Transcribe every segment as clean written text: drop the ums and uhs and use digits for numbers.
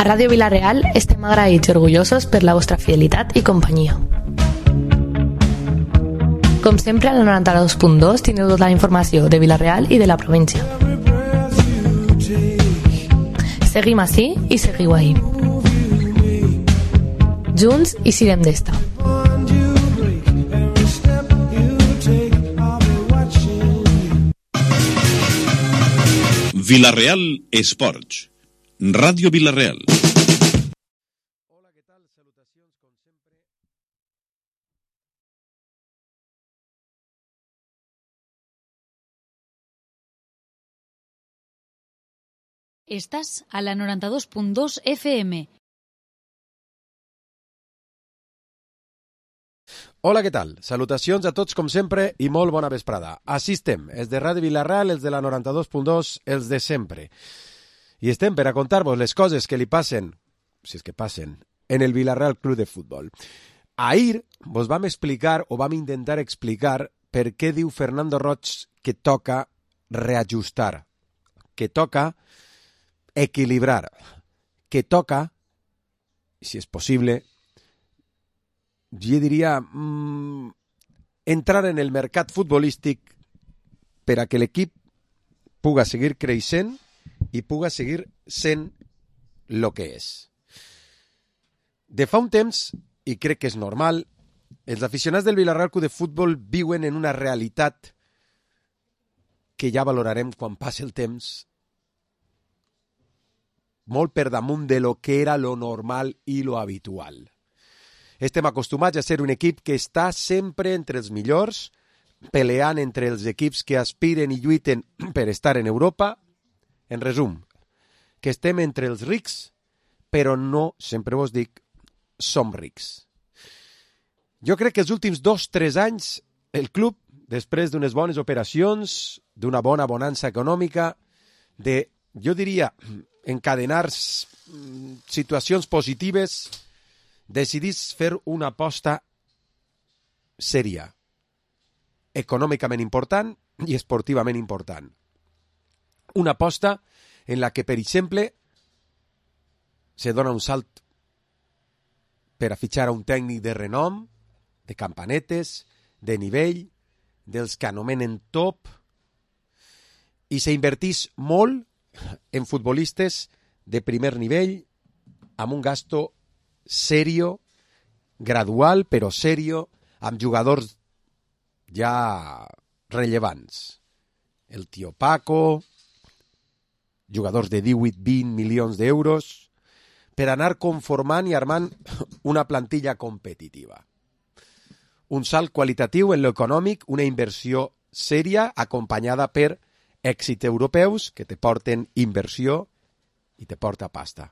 Ràdio Vila-real estem agraïts i orgullosos per la vostra fidelitat i companyia. Com sempre, a la 92.2 tindreu tota la informació de Vila-real i de la província. Seguim ací i seguiu ahí. Junts i sirem d'esta. Vila-real Esports. Ràdio Vila-real. Hola, què tal? Salutacions, com sempre. Estàs a la 92.2 FM. Hola, què tal? Salutacions a tots, com sempre, i molt bona vesprada. Així estem, els de Ràdio Vila-real, els de la 92.2, els de sempre. I estem per a contar-vos les coses que li passen, si és que passen, en el Vila-real Club de Futbol. Ahir vos vam explicar, o vam intentar explicar, per què diu Fernando Roig que toca reajustar, que toca equilibrar, que toca, si és possible, jo diria, entrar en el mercat futbolístic per a que l'equip puga seguir creixent i puga seguir sent el que és. De fa un temps, i crec que és normal, els aficionats del Vila-real Club de Futbol viuen en una realitat que ja valorarem quan passi el temps, molt per damunt de lo que era lo normal i lo habitual. Estem acostumats a ser un equip que està sempre entre els millors, peleant entre els equips que aspiren i lluiten per estar en Europa. En resum, que estem entre els rics, però no, sempre vos dic, som rics. Jo crec que els últims 2-3 anys el club, després d'unes bones operacions, d'una bona bonança econòmica, de, jo diria, encadenar situacions positives, decidís fer una aposta sèria, econòmicament important i esportivament important. Una aposta en la que, per exemple, se dona un salt per a fitxar a un tècnic de renom, de campanetes, de nivell, dels que anomenen top, i s'invertís molt en futbolistes de primer nivell, amb un gasto serio, gradual, però serio, amb jugadors ja rellevants. El tio Paco, jugadors de 18-20 milions d'euros, per anar conformant i armant una plantilla competitiva. Un salt qualitatiu en l'econòmic, una inversió sèria acompanyada per èxits europeus que te porten inversió i te porta pasta.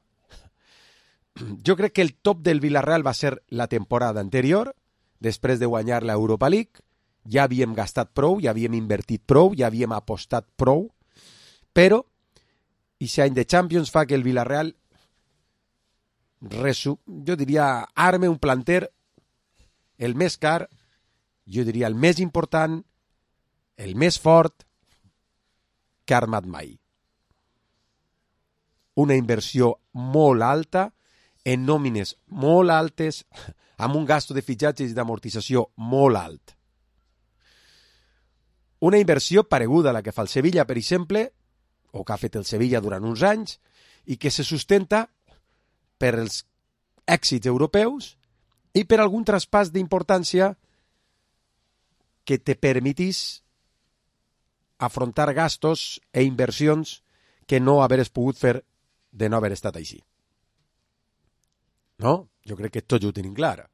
Jo crec que el top del Vila-real va ser la temporada anterior, després de guanyar l'Europa League. Ja havíem gastat prou, ja havíem invertit prou, ja havíem apostat prou, però aquest any de Champions fa que el Vila-real, jo diria, arme un planter el més car, jo diria el més important, el més fort que ha armat mai. Una inversió molt alta, en nòmines molt altes, amb un gasto de fitxatges i d'amortització molt alt. Una inversió pareguda a la que fa el Sevilla, per exemple, o que ha fet el Sevilla durant uns anys, i que se sustenta per els èxits europeus i per algun traspàs d'importància que te permetís afrontar gastos e inversions que no haveres pogut fer de no haver estat així. No? Jo crec que tots ho tenim clar.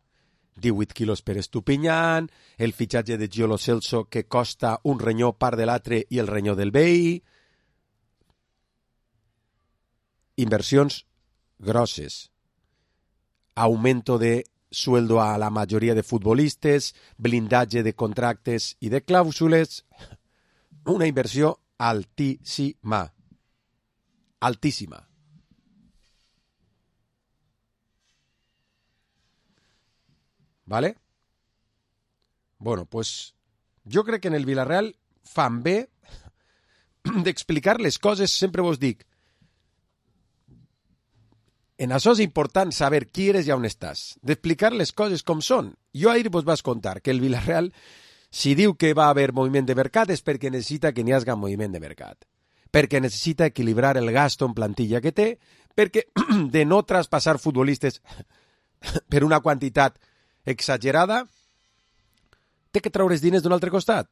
18 quilos per Estupiñán, el fitxatge de Gio Lo Celso que costa un renyó part de l'altre i el renyó del veí. Inversions grosses. Aumento de sueldo a la majoria de futbolistes, blindatge de contractes i de clàusules. Una inversió altíssima. Altíssima. ¿Vale? Bueno, pues jo crec que en el Vila-real fan bé d'explicar les coses, sempre vos dic, En això és important saber qui eres i on estàs, d'explicar les coses com són. Jo ahir vos vaig contar que el Villarreal, si diu que va haver moviment de mercat, és perquè necessita que n'hi hagi moviment de mercat, perquè necessita equilibrar el gasto en plantilla que té, perquè de no traspassar futbolistes per una quantitat exagerada, té que treure els diners d'un altre costat.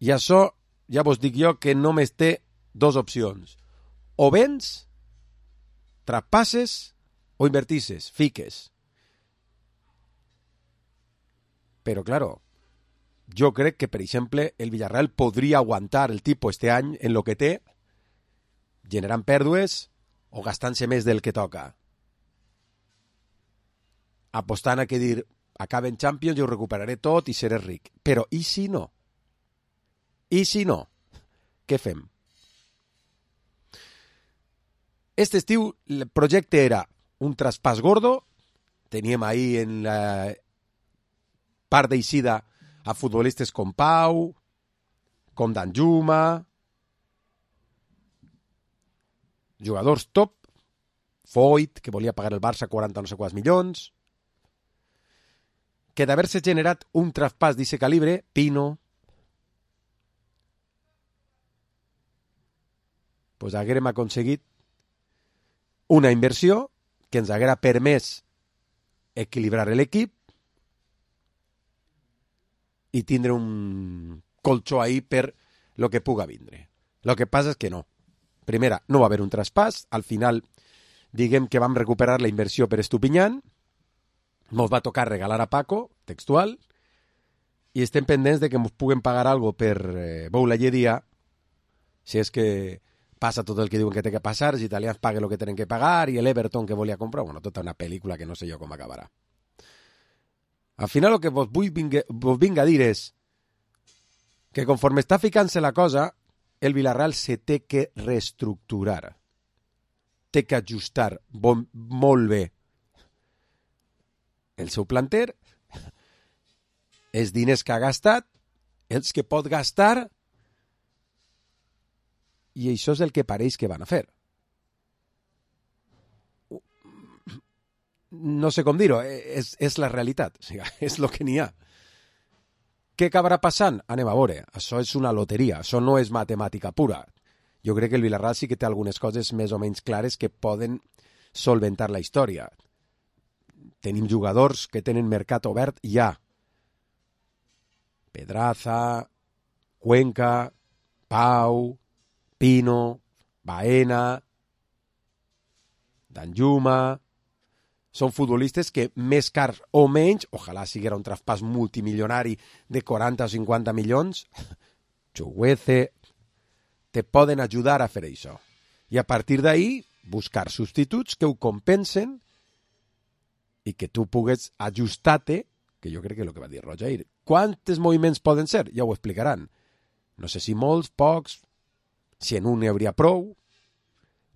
I això, ja vos dic jo, que només té dues opcions. O vens, traspasses, o invertisses, fiques. Però, claro, jo crec que, per exemple, el Villarreal podria aguantar el tipus este any en lo que té, generant pèrdues o gastant-se més del que toca. Apostant a que dir, acaben Champions, jo ho recuperaré tot i seré ric. Però, i si no? I si no? Què fem? Este estiu el projecte era un traspàs gordo, teníem ahí en la part d'eixida a futbolistes com Pau, com Danjuma, jugadors top, Foyt, que volia pagar el Barça 40 no sé quants milions, que d'haver-se generat un traspàs d'aquest calibre, Pino, pues haguérem aconseguit una inversió que ens haguera permès equilibrar l'equip i tindre un colxó ahí per lo que puga vindre. Lo que passa és que no. Primera, no va haver un traspàs. Al final, diguem que vam recuperar la inversió per Estupiñán. Ens va tocar regalar a Paco, textual, i estem pendents de que ens puguen pagar algo per Boula Lledia, si és que passa tot el que diuen que té que passar, els italians paguen el que tenen que pagar, i l'Everton que volia comprar, bueno, tota una pel·lícula que no sé jo com acabarà. Al final el que vos vinc a dir és que conforme està ficant-se la cosa, el Villarreal se té que reestructurar, té que ajustar molt bé el seu planter, els diners que ha gastat, els que pot gastar, i això és el que pareix que van a fer. No sé com dir-ho, és la realitat, o sigui, és el que n'hi ha. Què acabarà passant? Anem a veure, això és una loteria, això no és matemàtica pura. Jo crec que el Villarreal sí que té algunes coses més o menys clares que poden solventar la història. Tenim jugadors que tenen mercat obert ja. Pedraza, Cuenca, Pau, Pino, Baena, Danjuma. Són futbolistes que més cars o menys, ojalà siguera un traspàs multimilionari de 40 o 50 milions, Chuguece, te poden ajudar a fer això. I a partir d'ahí, buscar substituts que ho compensen i que tu pugues ajustar-te, que jo crec que és el que va dir Roger. Quants moviments poden ser? Ja ho explicaran. No sé si molts, pocs, si en un n'hi hauria prou,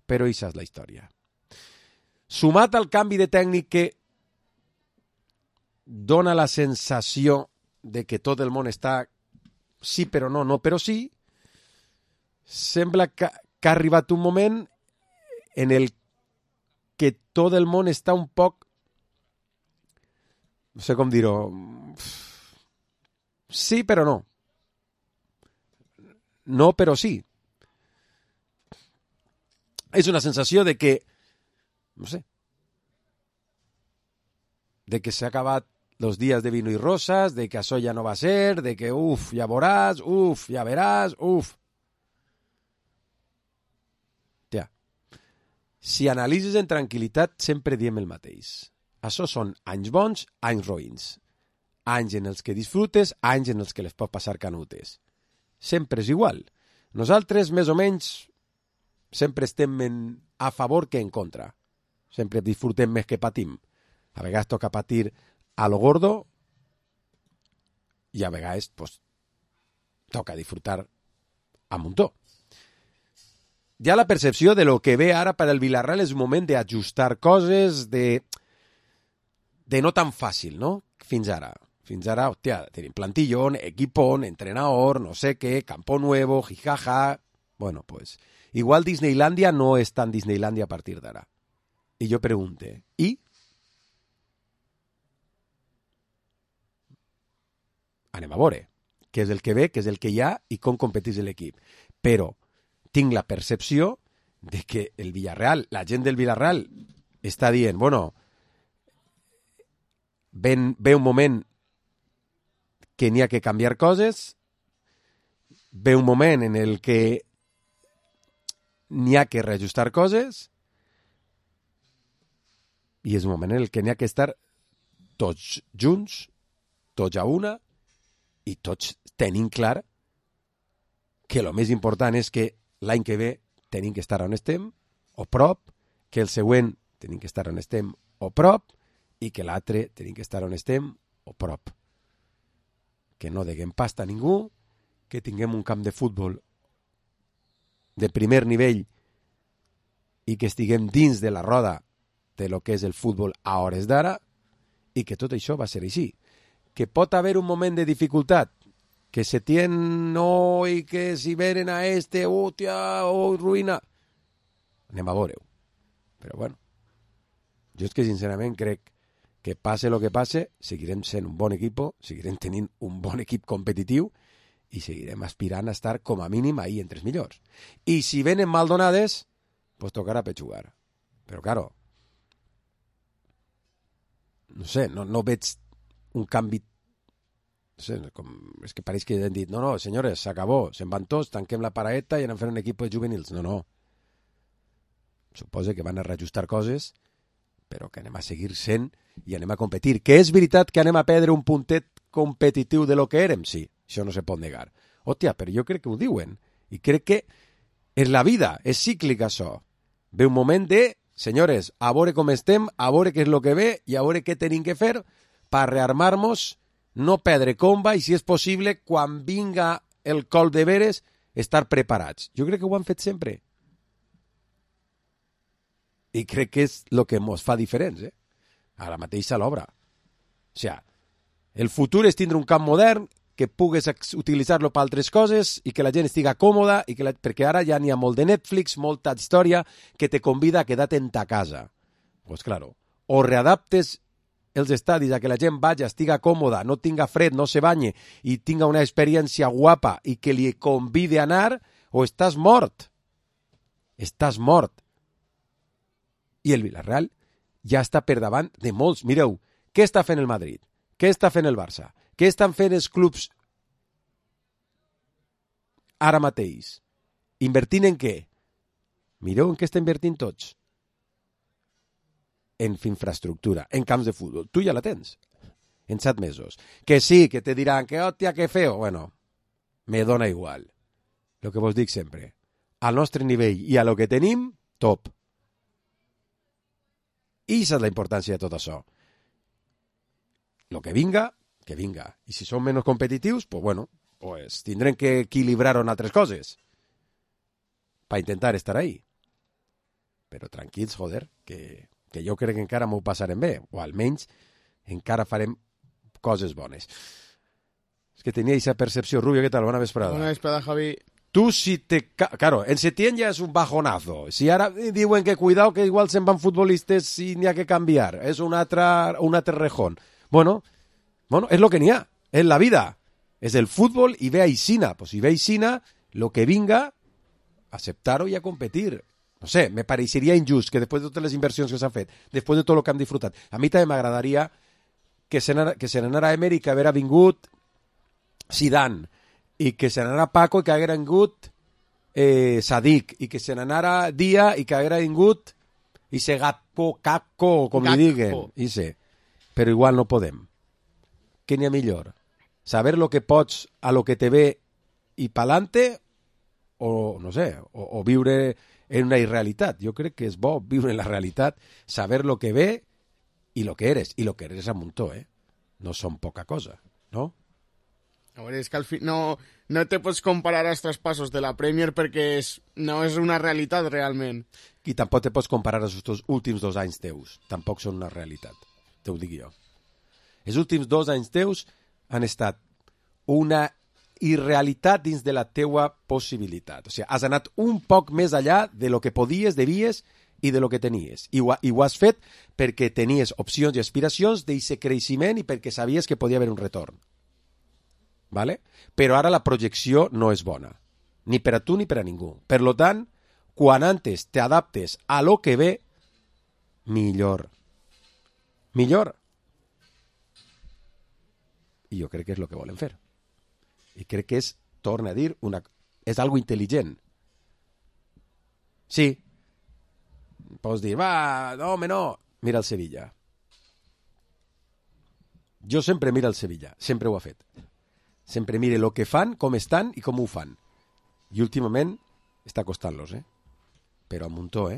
però això és la història. Sumat al canvi de tècnic que dona la sensació de que tot el món està sí però no, no però sí, sembla que ha arribat un moment en el que tot el món està un poc, no sé com dir-ho, sí però no. No però sí. És una sensació de que, no sé, de que s'ha acabat los días de vino y rosas, de que això ja no va a ser, de que ja veuràs, ja veràs, Tia, si analitzes en tranquil·litat, sempre diem el mateix. Això són anys bons, anys roïns. Anys en els que disfrutes, anys en els que les pots passar canutes. Sempre és igual. Nosaltres, més o menys, sempre estem a favor que en contra. Sempre disfrutem més que patim. A vegades toca patir a lo gordo i a vegades pues, toca disfrutar a muntó. Ja la percepció de lo que ve ara per al Villarreal és un moment d'ajustar coses, de no tan fàcil, no? Fins ara. Fins ara, hòstia, tenim plantillón, equipón, entrenador, no sé què, campo nuevo, jijaja. Bueno, pues, igual Disneylandia no és tan Disneylandia a partir d'ara. I jo pregunte, i? Anem a veure què és el que ve, què és el que hi ha i com competeix l'equip. Però tinc la percepció de que el Villarreal, la gent del Villarreal està dient, bueno, ve un moment que n'hi ha que canviar coses, ve un moment en el que n'hi ha que reajustar coses i és un moment en el que n'hi ha que estar tots junts, tots a una i tots tenim clar que el més important és que l'any que ve tenim que estar on estem o prop, que el següent tenim que estar on estem o prop i que l'altre tenim que estar on estem o prop. Que no deguem pasta a ningú, que tinguem un camp de futbol de primer nivell i que estiguem dins de la roda de lo que és el futbol a hores d'ara i que tot això va ser així. Que pot haver un moment de dificultat, que se tiene no i que si venen a hòstia, ruïna. Anem a veure-ho. Però bueno, jo és que sincerament crec que passe el que passe, seguirem sent un bon equip, seguirem tenint un bon equip competitiu i seguirem aspirant a estar com a mínim ahí entre els millors. I si venen mal donades, pues tocarà pechugar. Però claro, no sé, no veig un canvi. No sé, és que pareix que han dit, no, senyores, s'acabó, se'n van tots, tanquem la paraeta i anem a fer un equip de juvenils. No. Suposa que van a reajustar coses, però que anem a seguir sent i anem a competir. Que és veritat que anem a perdre un puntet competitiu de lo que érem? Sí, això no se pot negar. Hòstia, però jo crec que ho diuen. I crec que és la vida, és cíclic això. Ve un moment de, senyores, a veure com estem, a veure què és el que ve i a veure què tenim que fer per rearmar-nos, no perdre comba i, si és possible, quan vinga el col de veres, estar preparats. Jo crec que ho han fet sempre. I crec que és el que ens fa diferents, ara mateix a l'obra. O sigui, el futur és tindre un camp modern que pugues utilitzar-lo per altres coses i que la gent estiga còmoda, perquè ara ja n'hi ha molt de Netflix, molta història que te convida a quedar-te en ta casa. Pues claro, o readaptes els estadis a que la gent vagi, estiga còmoda, no tinga fred, no se banye i tinga una experiència guapa i que li convide a anar, o estàs mort. Estàs mort. I el Villarreal ja està per davant de molts. Mireu, què està fent el Madrid? Què està fent el Barça? Què estan fent els clubs ara mateix? Invertint en què? Mireu en què està invertint tots. En infraestructura, en camps de futbol. Tu ja la tens. En 7 mesos. Que sí, que te diran que hòstia, que feo. Bueno, me dona igual. Lo que vos dic sempre. Al nostre nivell i a lo que tenim, top. I aquesta és la importància de tot això. Lo que vinga, que vinga. I si són menys competitius, pues bueno, pues tindrem que equilibrar en altres coses per intentar estar ahí. Però tranquils, joder, que jo crec que encara m'ho passarem bé, o almenys encara farem coses bones. És que tenia aquesta percepció. Rubio, què tal? Bona vesprada. Bona vesprada, Javi. Tu si te... Claro, en Setién ja és un bajonazo. Si ara diuen que cuidado, que igual se'n van futbolistes i n'hi ha que canviar. És un altre rejón. Bueno, és lo que n'hi ha. És la vida. És el futbol i ve a Isina. Pues si ve a Isina, lo que vinga, aceptar-ho i a competir. No sé, me pareixeria injust que després de totes les inversions que s'han fet, després de tot el que han disfrutat, a mi també m'agradaria que se n'anara Emery, que haguera vingut Zidane, i que se n'anara Paco i que haguera vingut Sadik, i que se n'anara Dia i que haguera vingut ese Gakpo, com li diguen. Però igual no podem. Què n'hi ha millor? Saber lo que pots a lo que te ve i pa'lante, o no sé, o viure en una irrealitat. Jo crec que és bo viure en la realitat, saber lo que ve i lo que eres. I lo que eres a muntó, No són poca cosa, no? A veure, és que al fi no te pots comparar als traspasos de la Premier perquè no és una realitat realment. I tampoc te pots comparar als últims 2 anys teus. Tampoc són una realitat, te ho dic jo. Els últims 2 anys teus han estat una irrealitat dins de la teua possibilitat. O sigui, has anat un poc més allà de lo que podies, devies i de lo que tenies. I ho has fet perquè tenies opcions i aspiracions d'aquest creixement i perquè sabies que podia haver un retorn. ¿Vale? Però ara la projecció no és bona. Ni per a tu ni per a ningú. Per lo tant, quan antes t'adaptes a lo que ve, millor. Millor. I jo crec que és el que volen fer. I crec que és, torna a dir, és algo intel·ligent. Sí. Pots dir, va, no, home, no. Mira el Sevilla. Jo sempre miro el Sevilla. Sempre ho ha fet. Sempre mire el que fan, com estan i com ho fan. I últimament està costant-los, Però a muntó,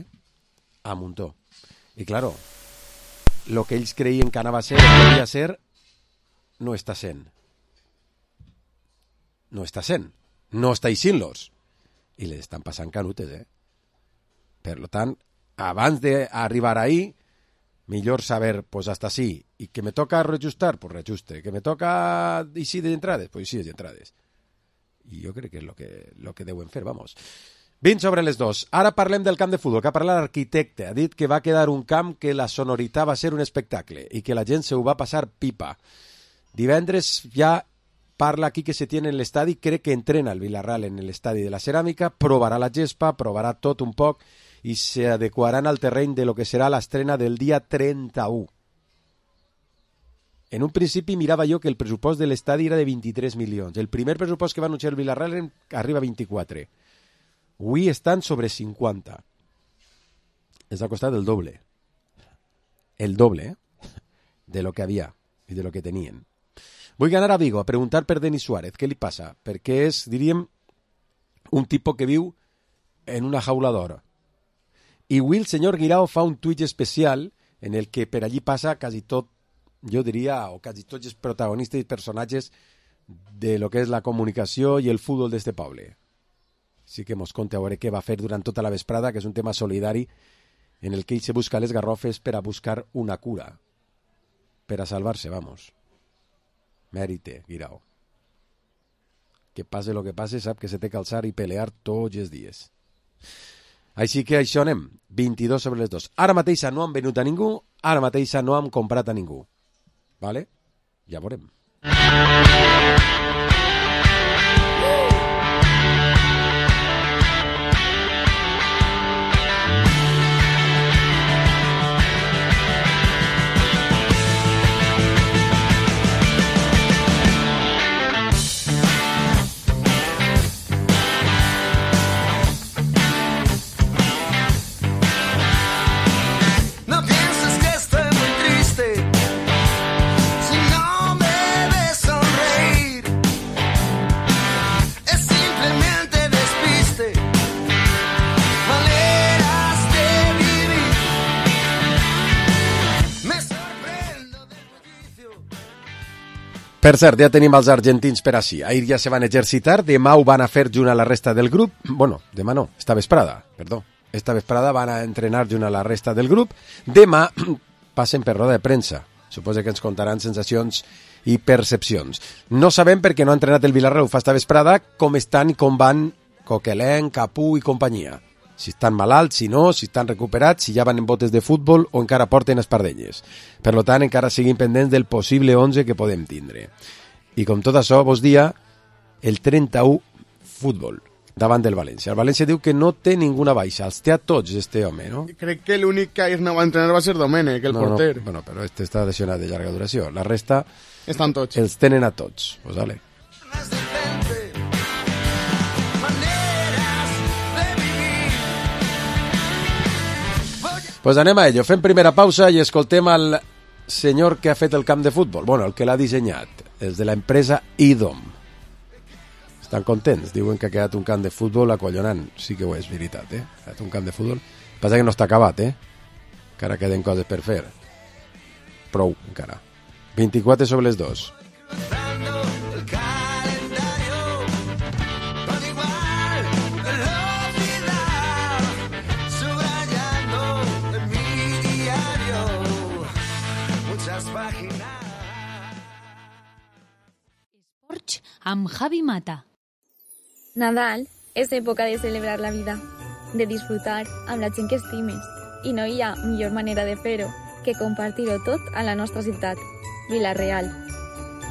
A muntó. I claro, lo que ells creien que anava a ser, que podria ser, no està sent. No està sent. No està eixint-los. I les estan passant canutes, Per tant, abans d'arribar ahí, millor saber, pues hasta sí. I que me toca reajustar, pues reajuste. Que me toca eixir d'entrades, pues eixir d'entrades. I jo crec que és lo que deuen fer, vamos. 20 sobre les 2. Ara parlem del camp de futbol, que ha parlat l'arquitecte. Ha dit que va quedar un camp que la sonoritat va ser un espectacle i que la gent se ho va passar pipa. Divendres ja parla aquí que se tiene en l'estadi, crec que entrena el Villarreal en l'estadi de la Ceràmica, provarà la gespa, provarà tot un poc i s'adequaran al terreny de lo que serà l'estrena del dia 31. En un principi mirava jo que el pressupost de l'estadi era de 23 milions. El primer pressupost que va anunciar el Villarreal arriba a 24. Avui estan sobre 50. És a costat del doble. El doble, de lo que havia i de lo que tenien. Vull anar a Vigo a preguntar per Denis Suárez. Què li passa? Perquè és, diríem, un tipus que viu en una jaula d'or. I avui el senyor Guirao fa un tuit especial en el que per allí passa quasi tot, jo diria, o quasi tots els protagonistes i personatges de lo que és la comunicació i el futbol d'este poble. Sí que mos conta a veure què va fer durant tota la vesprada, que és un tema solidari en el que ell se busca les garrofes per a buscar una cura. Per a salvar-se, vamos. Mèrite, Guirao. Que passe lo que passe, sap que se té que alçar i pelear tots els dies. Així que això anem, 22 sobre les 2. Ara mateix no han venut a ningú, ara mateix no han comprat a ningú. Vale? Ja veurem. Per cert, ja tenim els argentins per així. Ahir ja se van exercitar, demà ho van a fer junt a la resta del grup. Bueno, demà no, esta vesprada, perdó. Esta vesprada van a entrenar junt a la resta del grup. Demà passen per roda de premsa. Suposo que ens contaran sensacions i percepcions. No sabem perquè no ha entrenat el Villarreal fa esta vesprada com estan i com van Coquelin, Capú i companyia. Si estan malalts, si no, si estan recuperats, si ja van en botes de futbol o encara porten espardenyes. Per tant, encara siguin pendents del possible 11 que podem tindre. I com tot això, vos dia, el 31 futbol davant del València. El València diu que no té ninguna baixa, els té a tots, este home, no? Crec que l'únic que ahir no va entrenar va ser Domènech, el porter. No, bueno, però este està lesionat de llarga duració. La resta estan tots. Els tenen a tots. Pues vale. Pues anem a ello. Fem primera pausa i escoltem al senyor que ha fet el camp de futbol. Bueno, el que l'ha dissenyat. Els de l'empresa IDOM. Estan contents. Diuen que ha quedat un camp de futbol acollonant. Sí que ho és, veritat, Ha quedat un camp de futbol. Passa que no està acabat, Encara queden coses per fer. Prou, encara. 24 sobre les 2. Amb Javi Mata. Nadal és època de celebrar la vida, de disfrutar amb la gent que estimes, I no hi ha millor manera de fer-ho que compartir-ho tot a la nostra ciutat, Vila-real.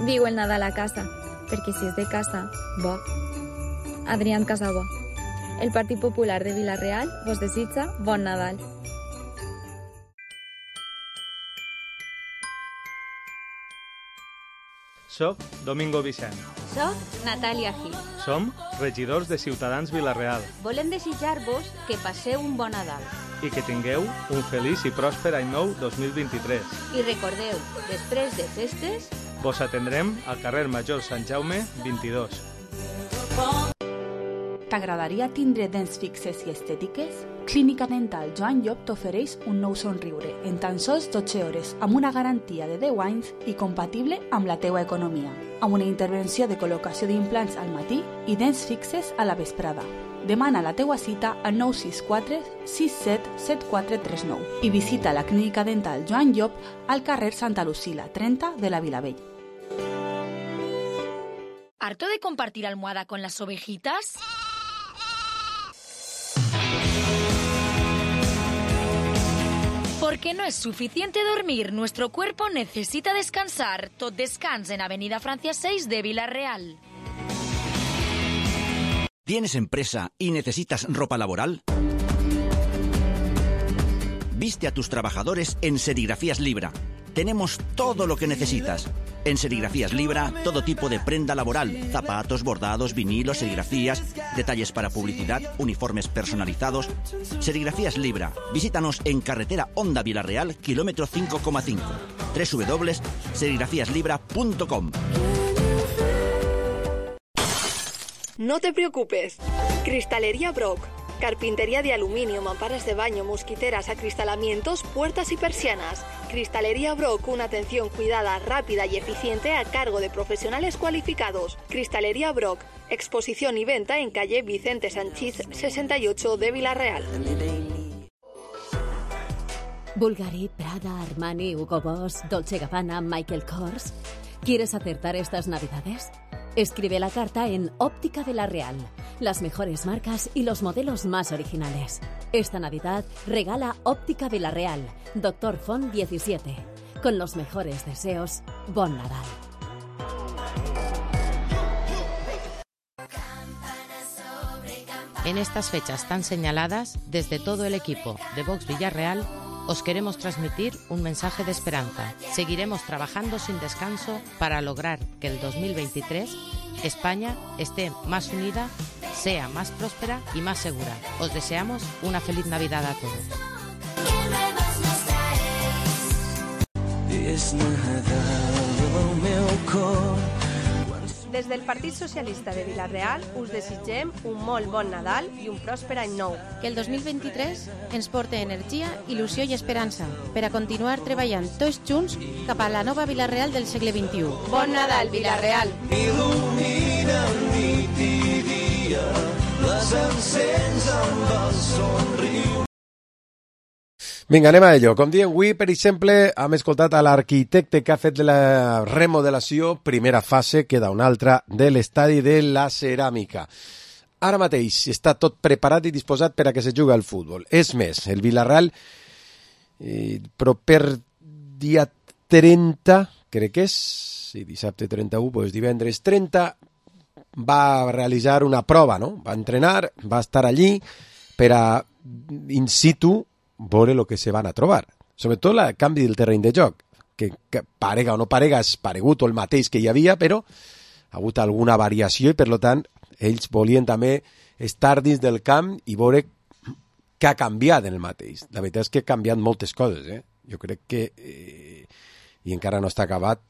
Viu el Nadal a casa, perquè si és de casa, bo. Adrián Casabó. El Partit Popular de Vila-real vos desitja bon Nadal. Soc Domingo Vicent. Soc Natàlia Gil. Som regidors de Ciutadans Vila-real. Volem desitjar-vos que passeu un bon Nadal. I que tingueu un feliç i pròsper any nou 2023. I recordeu, després de festes, vos atendrem al carrer Major Sant Jaume 22. T'agradaria tindre dents fixes i estètiques? Clínica Dental Joan Llop t'ofereix un nou somriure en tan sols 12 hores, amb una garantia de 10 anys i compatible amb la teua economia, amb una intervenció de col·locació d'implants al matí i dents fixes a la vesprada. Demana la teua cita al 964 67 7439 i visita la Clínica Dental Joan Llop al carrer Santa Lucila, 30 de la Vilavell. ¿Harto de compartir almohada con las ovejitas? Porque no es suficiente dormir, nuestro cuerpo necesita descansar. Tot descans en Avenida Francia 6 de Vila-real. ¿Tienes empresa y necesitas ropa laboral? Viste a tus trabajadores en Serigrafías Libra. Tenemos todo lo que necesitas. En Serigrafías Libra, todo tipo de prenda laboral, zapatos, bordados, vinilos, serigrafías, detalles para publicidad, uniformes personalizados. Serigrafías Libra. Visítanos en carretera Honda Vila-real, kilómetro 5,5. www.serigrafiaslibra.com. No te preocupes. Cristalería Brock. Carpintería de aluminio, mamparas de baño, mosquiteras, acristalamientos, puertas y persianas. Cristalería Brock, una atención cuidada, rápida y eficiente a cargo de profesionales cualificados. Cristalería Brock, exposición y venta en calle Vicente Sanchís 68 de Vila-real. Bulgari, Prada, Armani, Hugo Boss, Dolce Gabbana, Michael Kors. ¿Quieres acertar estas Navidades? Escribe la carta en Óptica Vila-real. Las mejores marcas y los modelos más originales. Esta Navidad regala Óptica Vila-real, Doctor Font 17. Con los mejores deseos, bon Nadal. En estas fechas tan señaladas, desde todo el equipo de Vox Villarreal, os queremos transmitir un mensaje de esperanza. Seguiremos trabajando sin descanso para lograr que el 2023 España esté más unida, sea más próspera y más segura. Os deseamos una feliz Navidad a todos. Des del Partit Socialista de Vila-real us desitgem un molt bon Nadal i un pròsper any nou. Que el 2023 ens porte energia, il·lusió i esperança per a continuar treballant tots junts cap a la nova Vila-real del segle XXI. Bon Nadal, Vila-real! Il·lumina nit i dia, les encens amb el somriure. Vinga, anem a ello. Com diem avui, per exemple, hem escoltat a l'arquitecte que ha fet la remodelació, primera fase, queda una altra, de l'estadi de la Ceràmica. Ara mateix està tot preparat i disposat per a que se jugui al futbol. És més, el Vila-real, proper dia 30, crec que és, sí, dissabte 31, doncs divendres 30, va realitzar una prova, no? Va entrenar, va estar allí per a in situ veure el que se van a trobar. Sobretot el canvi del terreny de joc, que parega o no parega, és paregut o el mateix que hi havia, però ha hagut alguna variació i, per tant, ells volien també estar dins del camp i veure què ha canviat en el mateix. La veritat és que ha canviat moltes coses, Jo crec que, i encara no està acabat,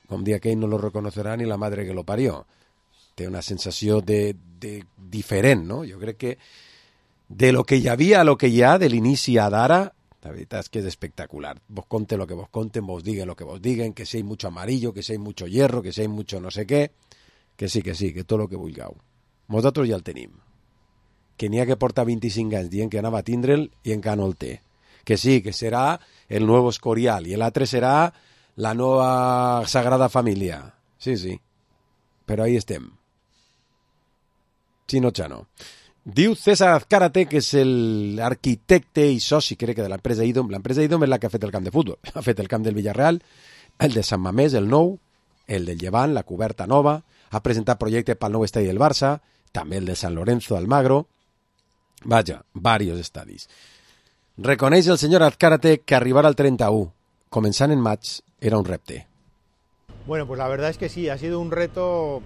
com dia aquell no lo reconocerà ni la madre que lo parió. Té una sensació de diferent, no? Jo crec que de lo que hi havia a lo que hi ha, de l'inici a d'ara, la veritat és que és espectacular. Vos conten lo que vos conten, vos diguen lo que vos diguen, que si hay mucho amarillo, que si hay mucho hierro, que si hay mucho no sé què, que sí, que tot lo que vulgueu. Nosaltres ja el tenim. Que n'hi ha que porta 25 anys dient que anava a tindre'l i encara no el té. Que sí, que serà el nou Escorial i l'altre serà la nova Sagrada Família. Sí, però ahí estem. Si no, ja no. Diu César Azcárate, que és l'arquitecte i soci, crec que de l'empresa IDOM. L'empresa IDOM és la que ha fet el camp de futbol. Ha fet el camp del Villarreal, el de Sant Mamés, el nou, el del Llevant, la coberta nova, ha presentat projecte pel nou estadi del Barça, també el de San Lorenzo Almagro. Vaja, varios estadis. Reconeix el senyor Azcárate que arribar al 31, comenzant en maig, era un repte. Bueno, pues la verdad es que sí, ha sido un reto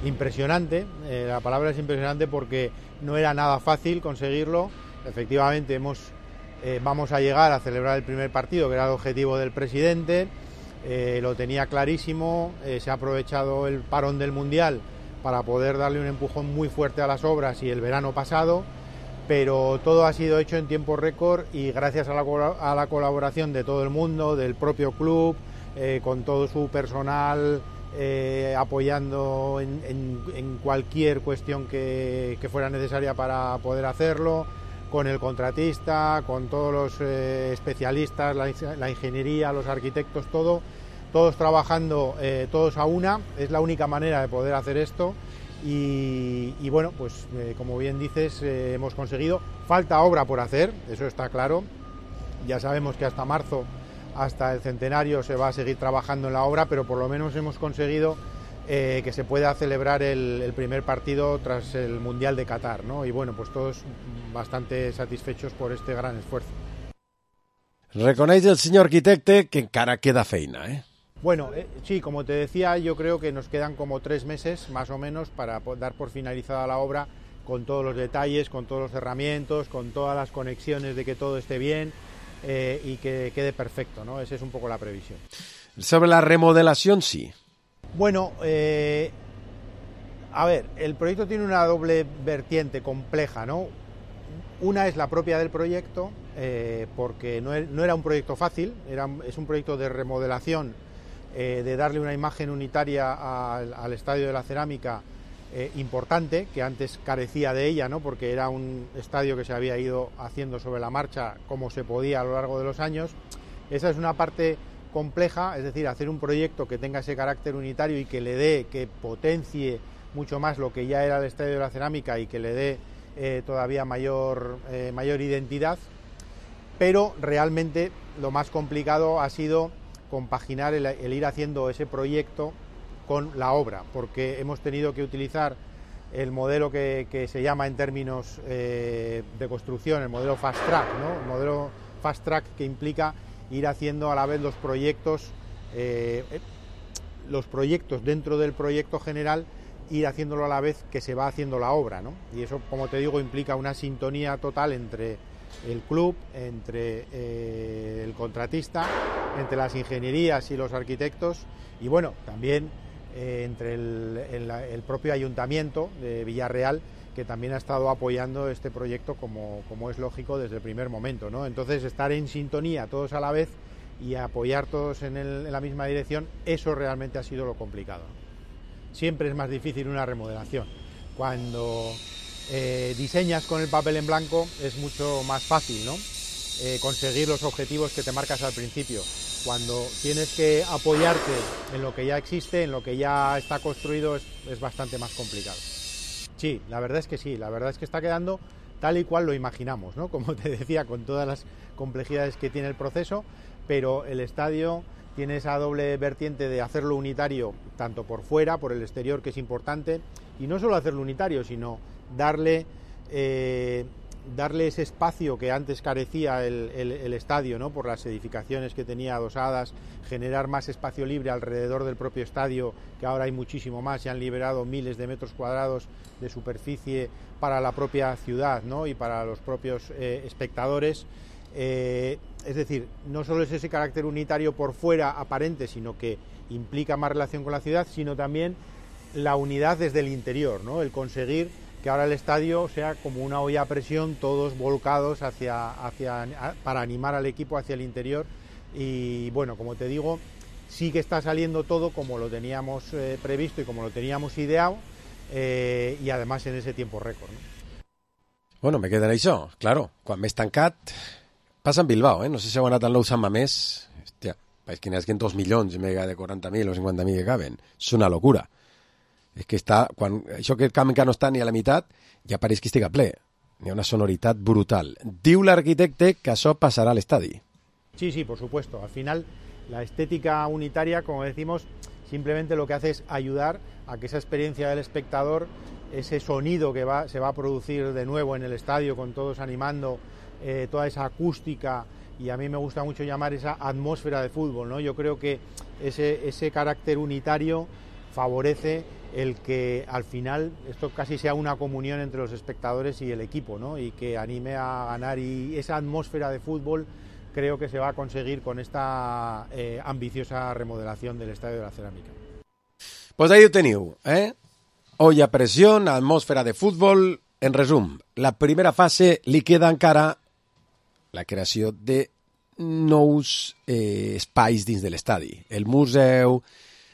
impresionante. La palabra es impresionante porque no era nada fácil conseguirlo. Efectivamente, vamos a llegar a celebrar el primer partido, que era el objetivo del presidente. Lo tenía clarísimo. Se ha aprovechado el parón del Mundial para poder darle un empujón muy fuerte a las obras y el verano pasado. Pero todo ha sido hecho en tiempo récord y gracias a la colaboración de todo el mundo, del propio club, con todo su personal, apoyando en cualquier cuestión que fuera necesaria para poder hacerlo, con el contratista, con todos los especialistas, la ingeniería, los arquitectos, todos trabajando, todos a una. Es la única manera de poder hacer esto. Y bueno, pues como bien dices, hemos conseguido. Falta obra por hacer, eso está claro. Ya sabemos que hasta marzo, hasta el centenario, se va a seguir trabajando en la obra, pero por lo menos hemos conseguido que se pueda celebrar el primer partido tras el Mundial de Qatar, ¿no? Y bueno, pues todos bastante satisfechos por este gran esfuerzo. Reconeix el senyor arquitecte que encara queda feina, ¿eh? Bueno, sí, como te decía, yo creo que nos quedan como 3 meses, más o menos, para dar por finalizada la obra, con todos los detalles, con todos los cerramientos, con todas las conexiones de que todo esté bien y que quede perfecto, ¿no? Esa es un poco la previsión. Sobre la remodelación, sí. Bueno, a ver, el proyecto tiene una doble vertiente compleja, ¿no? Una es la propia del proyecto, porque no era un proyecto fácil, es un proyecto de remodelación, de darle una imagen unitaria al Estadio de la Cerámica importante, que antes carecía de ella, ¿no? Porque era un estadio que se había ido haciendo sobre la marcha como se podía a lo largo de los años. Esa es una parte compleja, es decir, hacer un proyecto que tenga ese carácter unitario y que potencie mucho más lo que ya era el Estadio de la Cerámica y que le dé todavía mayor identidad. Pero realmente lo más complicado ha sido compaginar el ir haciendo ese proyecto con la obra, porque hemos tenido que utilizar el modelo que se llama en términos de construcción, el modelo Fast Track, ¿no? El modelo Fast Track, que implica ir haciendo a la vez los proyectos dentro del proyecto general, ir haciéndolo a la vez que se va haciendo la obra, ¿no? Y eso, como te digo, implica una sintonía total entre el club, entre el contratista, entre las ingenierías y los arquitectos, y bueno, también entre el propio ayuntamiento de Villarreal, que también ha estado apoyando este proyecto como es lógico desde el primer momento, ¿no? Entonces, estar en sintonía todos a la vez y apoyar todos en la misma dirección, eso realmente ha sido lo complicado, ¿no? Siempre es más difícil una remodelación. Cuando diseñas con el papel en blanco es mucho más fácil, ¿no? Conseguir los objetivos que te marcas al principio. Cuando tienes que apoyarte en lo que ya existe, en lo que ya está construido, es bastante más complicado. Sí, la verdad es que sí, la verdad es que está quedando tal y cual lo imaginamos, ¿no? Como te decía, con todas las complejidades que tiene el proceso, pero el estadio tiene esa doble vertiente de hacerlo unitario, tanto por fuera, por el exterior, que es importante, y no solo hacerlo unitario, sino darle ese espacio que antes carecía el estadio, ¿no? Por las edificaciones que tenía adosadas, generar más espacio libre alrededor del propio estadio, que ahora hay muchísimo más, se han liberado miles de metros cuadrados de superficie para la propia ciudad, ¿no? Y para los propios espectadores. Es decir, no solo es ese carácter unitario por fuera aparente, sino que implica más relación con la ciudad, sino también la unidad desde el interior, ¿no? El conseguir que ahora el estadio sea como una olla a presión, todos volcados para animar al equipo hacia el interior. Y bueno, como te digo, sí que está saliendo todo como lo teníamos previsto y como lo teníamos ideado, y además en ese tiempo récord, ¿no? Bueno, me queda això, claro, quan m'he tancat passa en Bilbao, no sé si heu anat al nou Sant Mamés, hòstia, és que n'hi ha 2 milions i mega de 40.000 o 50.000 que caben, és una locura. És que això que el camp encara no està ni a la meitat, ja pareix que estiga ple. Hi ha una sonoritat brutal. Diu l'arquitecte que això passarà a l'estadi. Sí, por supuesto. Al final, la estética unitaria, como decimos, simplemente lo que hace es ayudar a que esa experiencia del espectador, ese sonido que se va a producir de nuevo en el estadio, con todos animando, toda esa acústica, y a mí me gusta mucho llamar esa atmósfera de fútbol, ¿no? Yo creo que ese carácter unitario favorece el que al final esto casi sea una comunión entre los espectadores y el equipo, ¿no? Y que anime a ganar, y esa atmósfera de fútbol creo que se va a conseguir con esta ambiciosa remodelación del Estadio de la Cerámica. Pues ahí ho teniu, Olla a pressió, atmosfera de futbol. En resum, la primera fase li queda encara la creació de nous espais dins de l'estadi. El museu,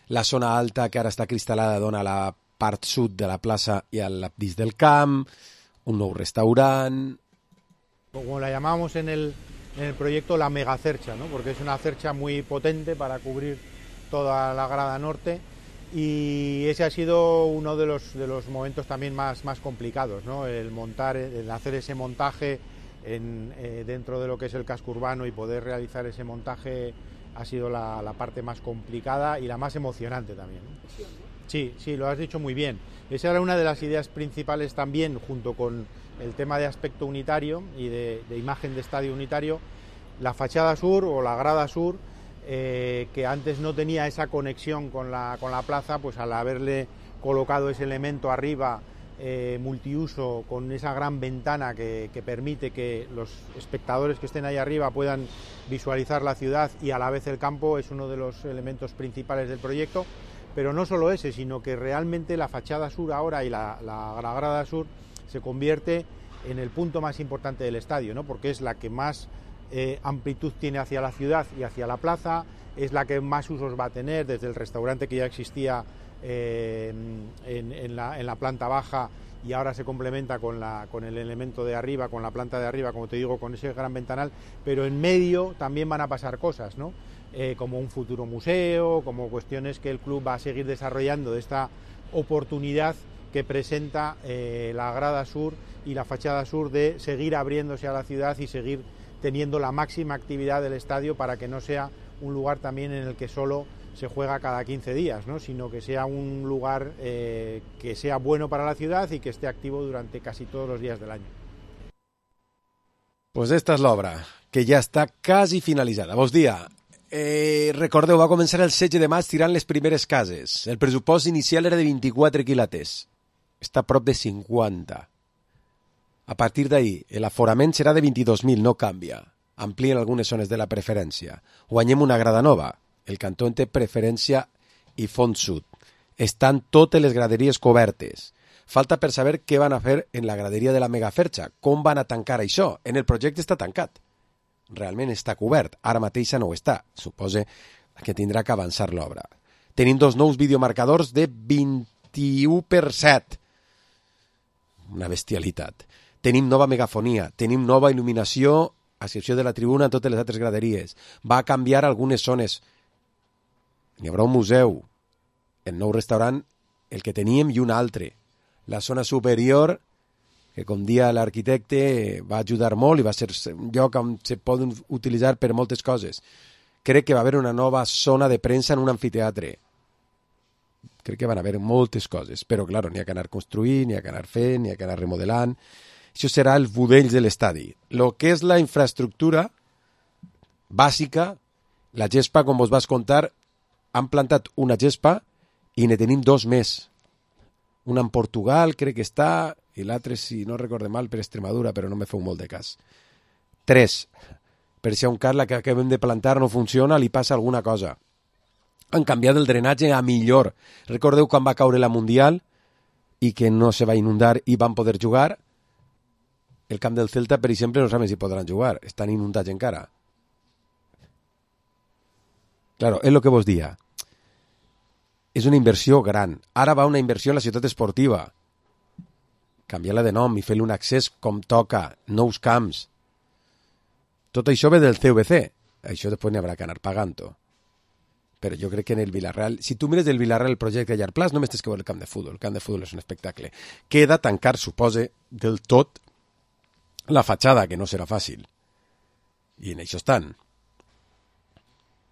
la zona alta que ara està cristal·lada dona la part sud de la plaça i dins del camp, un nou restaurant. Como la llamábamos en el proyecto, la megacercha, ¿no? Porque es una cercha muy potente para cubrir toda la grada norte, y ese ha sido uno de los momentos también más complicados, ¿no? El hacer ese montaje dentro de lo que es el casco urbano, y poder realizar ese montaje ha sido la parte más complicada y la más emocionante también, ¿no? Sí, lo has dicho muy bien. Esa era una de las ideas principales también, junto con el tema de aspecto unitario y de imagen de estadio unitario. La fachada sur o la grada sur, que antes no tenía esa conexión con la plaza, pues al haberle colocado ese elemento arriba multiuso, con esa gran ventana que permite que los espectadores que estén ahí arriba puedan visualizar la ciudad y a la vez el campo, es uno de los elementos principales del proyecto. Pero no solo ese, sino que realmente la fachada sur ahora y la grada sur se convierte en el punto más importante del estadio, ¿no? Porque es la que más amplitud tiene hacia la ciudad y hacia la plaza, es la que más usos va a tener, desde el restaurante que ya existía en la planta baja, y ahora se complementa con el elemento de arriba, con la planta de arriba, como te digo, con ese gran ventanal. Pero en medio también van a pasar cosas, ¿no? Como un futuro museo, como cuestiones que el club va a seguir desarrollando de esta oportunidad que presenta la grada sur y la fachada sur, de seguir abriéndose a la ciudad y seguir teniendo la máxima actividad del estadio, para que no sea un lugar también en el que solo se juega cada 15 días, ¿no? Sino que sea un lugar que sea bueno para la ciudad y que esté activo durante casi todos los días del año. Pues esta és l'obra, que ja està quasi finalitzada. Bon dia. Recordeu, va començar el 16 de maig tirant les primeres cases. El pressupost inicial era de 24 quilates. Està a prop de 50. A partir d'ahir, l'aforament serà de 22.000, no canvia. Amplien algunes zones de la preferència. Guanyem una grada nova. El cantó en té preferència i fons sud. Estan totes les graderies cobertes. Falta per saber què van a fer en la graderia de la megaferxa. Com van a tancar això? En el projecte està tancat. Realment està cobert. Ara mateix no ho està. Suposa que tindrà que avançar l'obra. Tenim dos nous videomarcadors de 21/7. Una bestialitat. Tenim nova megafonia. Tenim nova il·luminació, a excepció de la tribuna, en totes les altres graderies. Va canviar algunes zones. N'hi haurà un museu, el nou restaurant, el que teníem, i un altre. La zona superior, que com dia l'arquitecte va ajudar molt i va ser un lloc on se poden utilitzar per moltes coses. Crec que va haver una nova zona de premsa en un amfiteatre. Crec que van haver moltes coses, però, clar, n'hi ha que anar construint, n'hi ha que anar fent, n'hi ha que anar remodelant. Això serà el budell de l'estadi. El que és la infraestructura bàsica, la gespa, com vos vas contar, han plantat una gespa i ne tenim dos més. Una en Portugal, crec que està, i l'altre, si no recorde mal, per Extremadura, però no me feu molt de cas. 3. Per si a un cas la que acabem de plantar no funciona, li passa alguna cosa. Han canviat el drenatge a millor. Recordeu quan va caure la Mundial i que no se va inundar i van poder jugar? El camp del Celta, per exemple, no saben si podran jugar. Estan inundats encara. Claro, és el que vos dia. És una inversió gran. Ara va una inversió en la ciutat esportiva. Canviar-la de nom i fer-li un accés com toca, nous camps. Tot això ve del CVC. Això després n'hi haurà que anar pagant-ho. però jo crec que en el Villarreal, si tu mires el Villarreal el projecte a llarg plaç, només tens que veure el camp de futbol. El camp de futbol és un espectacle. Queda tancar, supose, del tot la fatxada, que no serà fàcil. I en això estan.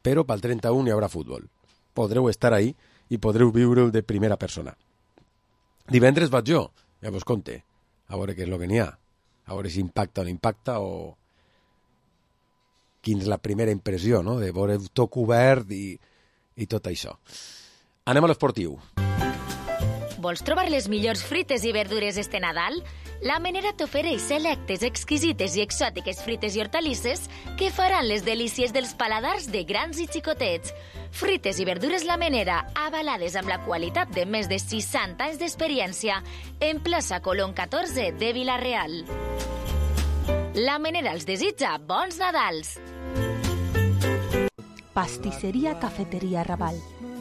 Però pel 31 hi haurà futbol. Podreu estar ahí i podreu viure-ho de primera persona. Divendres vaig jo, ja vos conte, a veure què és el que n'hi ha. A veure si impacta o no impacta o quina és la primera impressió, no?, de veure tot cobert i tot això. Anem a l'esportiu. Vols trobar les millors frites i verdures este Nadal? La Menera t'ofereix selectes, exquisites i exòtiques frites i hortalisses que faran les delícies dels paladars de grans i xicotets. Frites i verdures La Menera, avalades amb la qualitat de més de 60 anys d'experiència, en plaça Colón 14 de Vila-real. La Menera els desitja bons Nadals! Pastisseria Cafeteria Raval.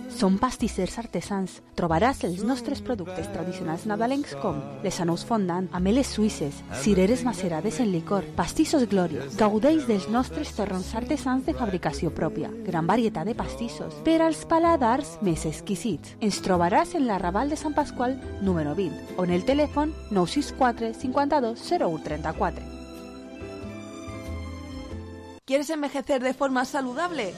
Són pastissers artesans. Trobaràs els nostres productes tradicionals nadalencs com les anous fondant, ameles suïsses, cireres macerades en licor, pastissos Glorio. Gaudeix dels nostres torrons artesans de fabricació pròpia. Gran varietat de pastissos per als paladars més exquisits. Ens trobaràs en la Raval de Sant Pasqual, número 20, o en el telèfon 964 52 01 34. ¿Quieres envejecer de forma saludable?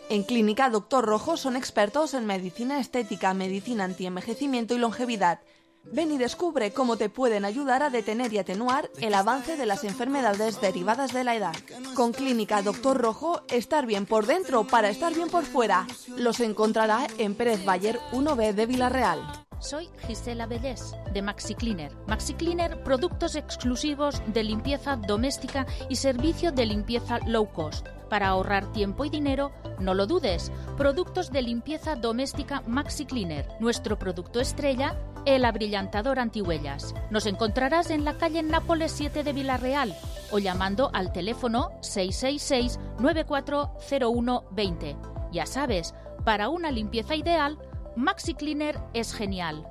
En Clínica Dr. Rojo son expertos en medicina estética, medicina antienvejecimiento y longevidad. Ven y descubre cómo te pueden ayudar a detener y atenuar el avance de las enfermedades derivadas de la edad. Con Clínica Dr. Rojo, estar bien por dentro para estar bien por fuera. Los encontrará en Pérez Bayer 1B de Vila-real. Soy Gisela Bellés, de Maxi Cleaner. Maxi Cleaner, productos exclusivos de limpieza doméstica y servicio de limpieza low cost. Para ahorrar tiempo y dinero, no lo dudes. Productos de limpieza doméstica Maxi Cleaner. Nuestro producto estrella, el abrillantador antihuellas. Nos encontrarás en la calle Nápoles 7 de Vila-real o llamando al teléfono 666-940120. Ya sabes, para una limpieza ideal, Maxi Cleaner es genial.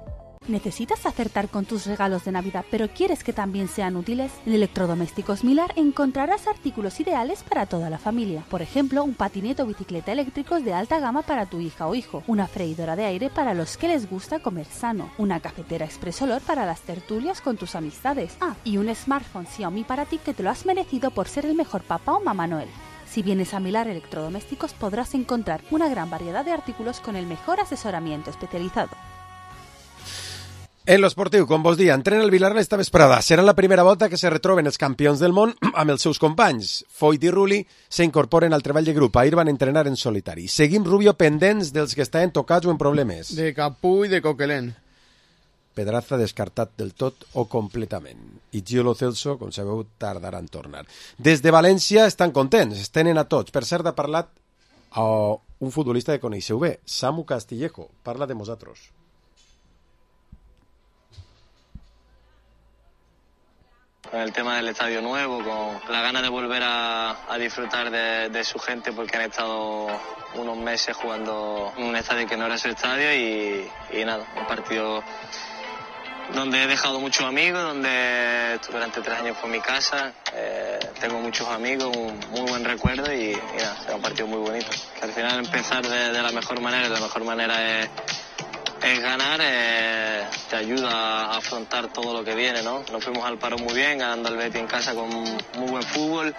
¿Necesitas acertar con tus regalos de Navidad, pero quieres que también sean útiles? En Electrodomésticos Milar encontrarás artículos ideales para toda la familia. Por ejemplo, un patinete o bicicleta eléctricos de alta gama para tu hija o hijo, una freidora de aire para los que les gusta comer sano, una cafetera Express Olor para las tertulias con tus amistades. Y un smartphone Xiaomi para ti que te lo has merecido por ser el mejor papá o mamá Noel. Si vienes a Milar Electrodomésticos podrás encontrar una gran variedad de artículos con el mejor asesoramiento especializado. En l'esportiu, com vos dia, entrena el Villarreal esta vesprada. Serà la primera volta que se retroben els campions del món amb els seus companys. Foyt i Rulli s'incorporen al treball de grup. Ahir van entrenar en solitari. Seguim, Rubio, pendents dels que estaven tocats o en problemes. De Capú i de Coquelin. Pedraza descartat del tot o completament. I Gio Lo Celso, com sabeu, tardarà en tornar. Des de València estan contents, es tenen a tots. Per cert, ha parlat un futbolista que coneixeu bé, Samu Castillejo. Parla de vosaltres. Con el tema del estadio nuevo, con la gana de volver a disfrutar de su gente, porque han estado unos meses jugando en un estadio que no era su estadio y nada, un partido donde he dejado muchos amigos, donde durante 3 años fue mi casa, tengo muchos amigos, un muy buen recuerdo y nada, será un partido muy bonito. Que al final empezar de la mejor manera es ganar, te ayuda a afrontar todo lo que viene, ¿no? Nos fuimos al paro muy bien, ganando al Betis en casa con muy buen fútbol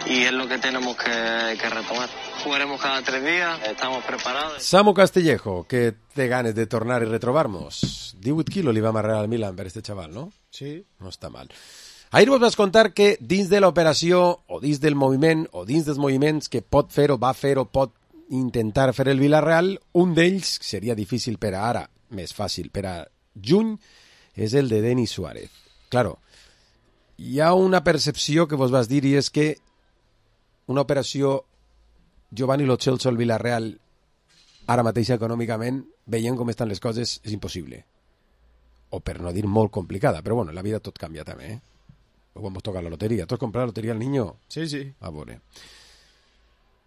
y es lo que tenemos que retomar. Jugaremos cada 3 días, estamos preparados. Samu Castillejo, que té ganes de tornar i retrobar-nos. 18 quilos li va amarrar al Milan per este xaval, no? Sí. No està mal. Ahir vos vas contar que dins de l'operació o dins del moviment o dins dels moviments que pot fer o va fer o pot intentar fer el Villarreal, un d'ells seria difícil per a ara, més fàcil per a juny, és el de Denis Suárez. Claro, hi ha una percepció que vos vas dir i és que una operació Giovanni Lo Celso al Villarreal ara mateix econòmicament, veient com estan les coses, és impossible. O per no dir molt complicada, però bueno, la vida tot canvia també, eh? O quan vos toca la loteria. ¿Tu has comprado la lotería al niño? Sí, sí. A veure.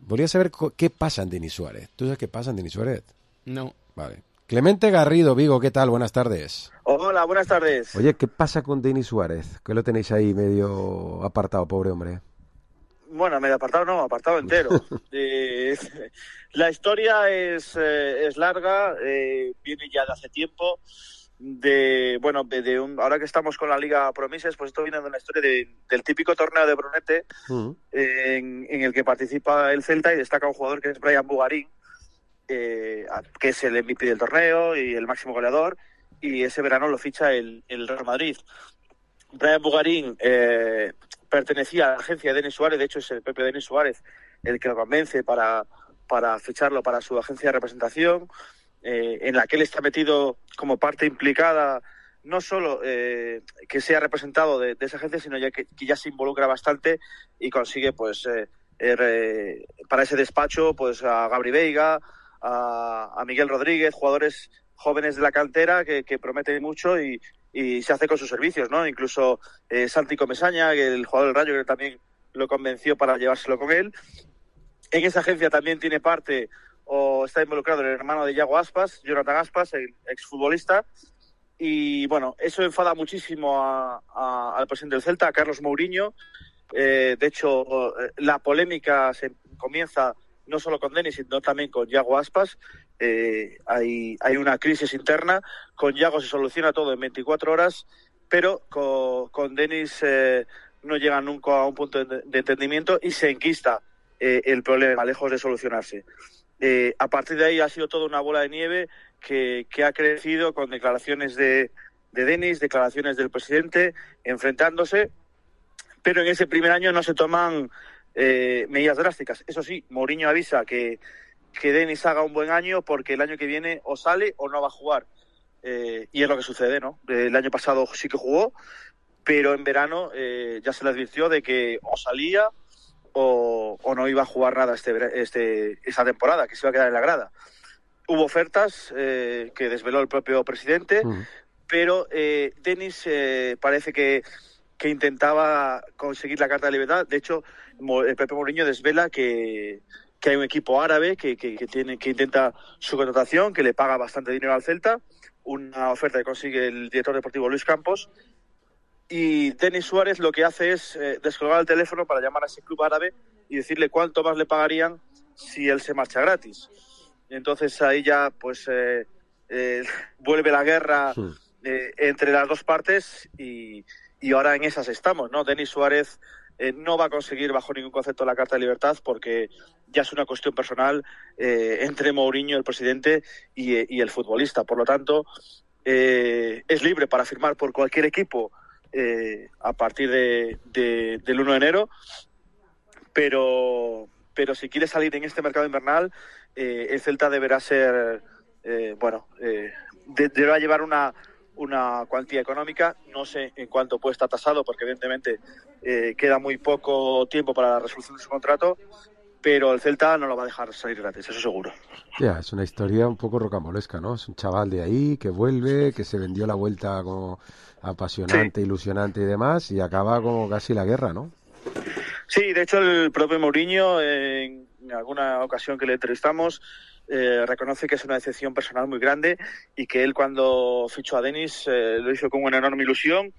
Volia saber què passa en Denis Suárez. ¿Tú sabes qué pasa en Denis Suárez? No. Vale. Clemente Garrido, Vigo, ¿qué tal? Buenas tardes. Hola, buenas tardes. Oye, ¿qué pasa con Denis Suárez? Que lo tenéis ahí medio apartado, pobre hombre. Bueno, medio apartado no, apartado entero. La historia es larga, viene ya de hace tiempo. Ahora que estamos con la Liga Promises, pues esto viene de una historia del típico torneo de Brunete, en el que participa el Celta y destaca un jugador que es Brian Bugarín, que es el MVP del torneo y el máximo goleador, y ese verano lo ficha el Real Madrid. Brian Bugarín pertenecía a la agencia de Denis Suárez, de hecho es el propio Denis Suárez el que lo convence para ficharlo para su agencia de representación, en la que él está metido como parte implicada, no solo que sea representado de esa agencia, sino ya que ya se involucra bastante y consigue pues para ese despacho pues a Gabri Veiga, a Miguel Rodríguez, jugadores jóvenes de la cantera que prometen mucho y se hace con sus servicios, ¿no? Incluso Santi Comesaña, el jugador del Rayo, que también lo convenció para llevárselo con él. En esa agencia también tiene parte o está involucrado el hermano de Yago Aspas, Jonathan Aspas, el exfutbolista. Y bueno, eso enfada muchísimo al presidente del Celta, a Carlos Mourinho. De hecho, la polémica se comienza no solo con Denis, sino también con Yago Aspas. Hay una crisis interna. Con Yago se soluciona todo en 24 horas, pero con Denis no llega nunca a un punto de entendimiento y se enquista el problema, lejos de solucionarse. A partir de ahí ha sido toda una bola de nieve que ha crecido con declaraciones de Denis, declaraciones del presidente, enfrentándose, pero en ese primer año no se toman medidas drásticas. Eso sí, Mourinho avisa que Denis haga un buen año porque el año que viene o sale o no va a jugar. Y es lo que sucede, ¿no? El año pasado sí que jugó, pero en verano ya se le advirtió de que o salía o no iba a jugar nada esa temporada, que se iba a quedar en la grada. Hubo ofertas que desveló el propio presidente, pero Denis parece que intentaba conseguir la carta de libertad. De hecho, el propio Mourinho desvela que hay un equipo árabe que intenta su contratación, que le paga bastante dinero al Celta, una oferta que consigue el director deportivo Luis Campos, y Denis Suárez lo que hace es descolgar el teléfono para llamar a ese club árabe y decirle cuánto más le pagarían si él se marcha gratis. Entonces ahí ya pues vuelve la guerra entre las dos partes y ahora en esas estamos, ¿no? Denis Suárez no va a conseguir bajo ningún concepto la Carta de Libertad porque ya es una cuestión personal entre Mourinho, el presidente, y el futbolista. Por lo tanto, es libre para firmar por cualquier equipo a partir del 1 de enero, pero si quiere salir en este mercado invernal, el Celta deberá ser, deberá llevar una cuantía económica. No sé en cuánto puede estar tasado, porque evidentemente queda muy poco tiempo para la resolución de su contrato, pero el Celta no lo va a dejar salir gratis, eso seguro. Ya, es una historia un poco rocambolesca, ¿no? Es un chaval de ahí que vuelve, que se vendió la vuelta como apasionante, ilusionante y demás, y acaba como casi la guerra, ¿no? Sí, de hecho el propio Mourinho, en alguna ocasión que le entrevistamos, reconoce que es una decepción personal muy grande y que él cuando fichó a Denis lo hizo con una enorme ilusión,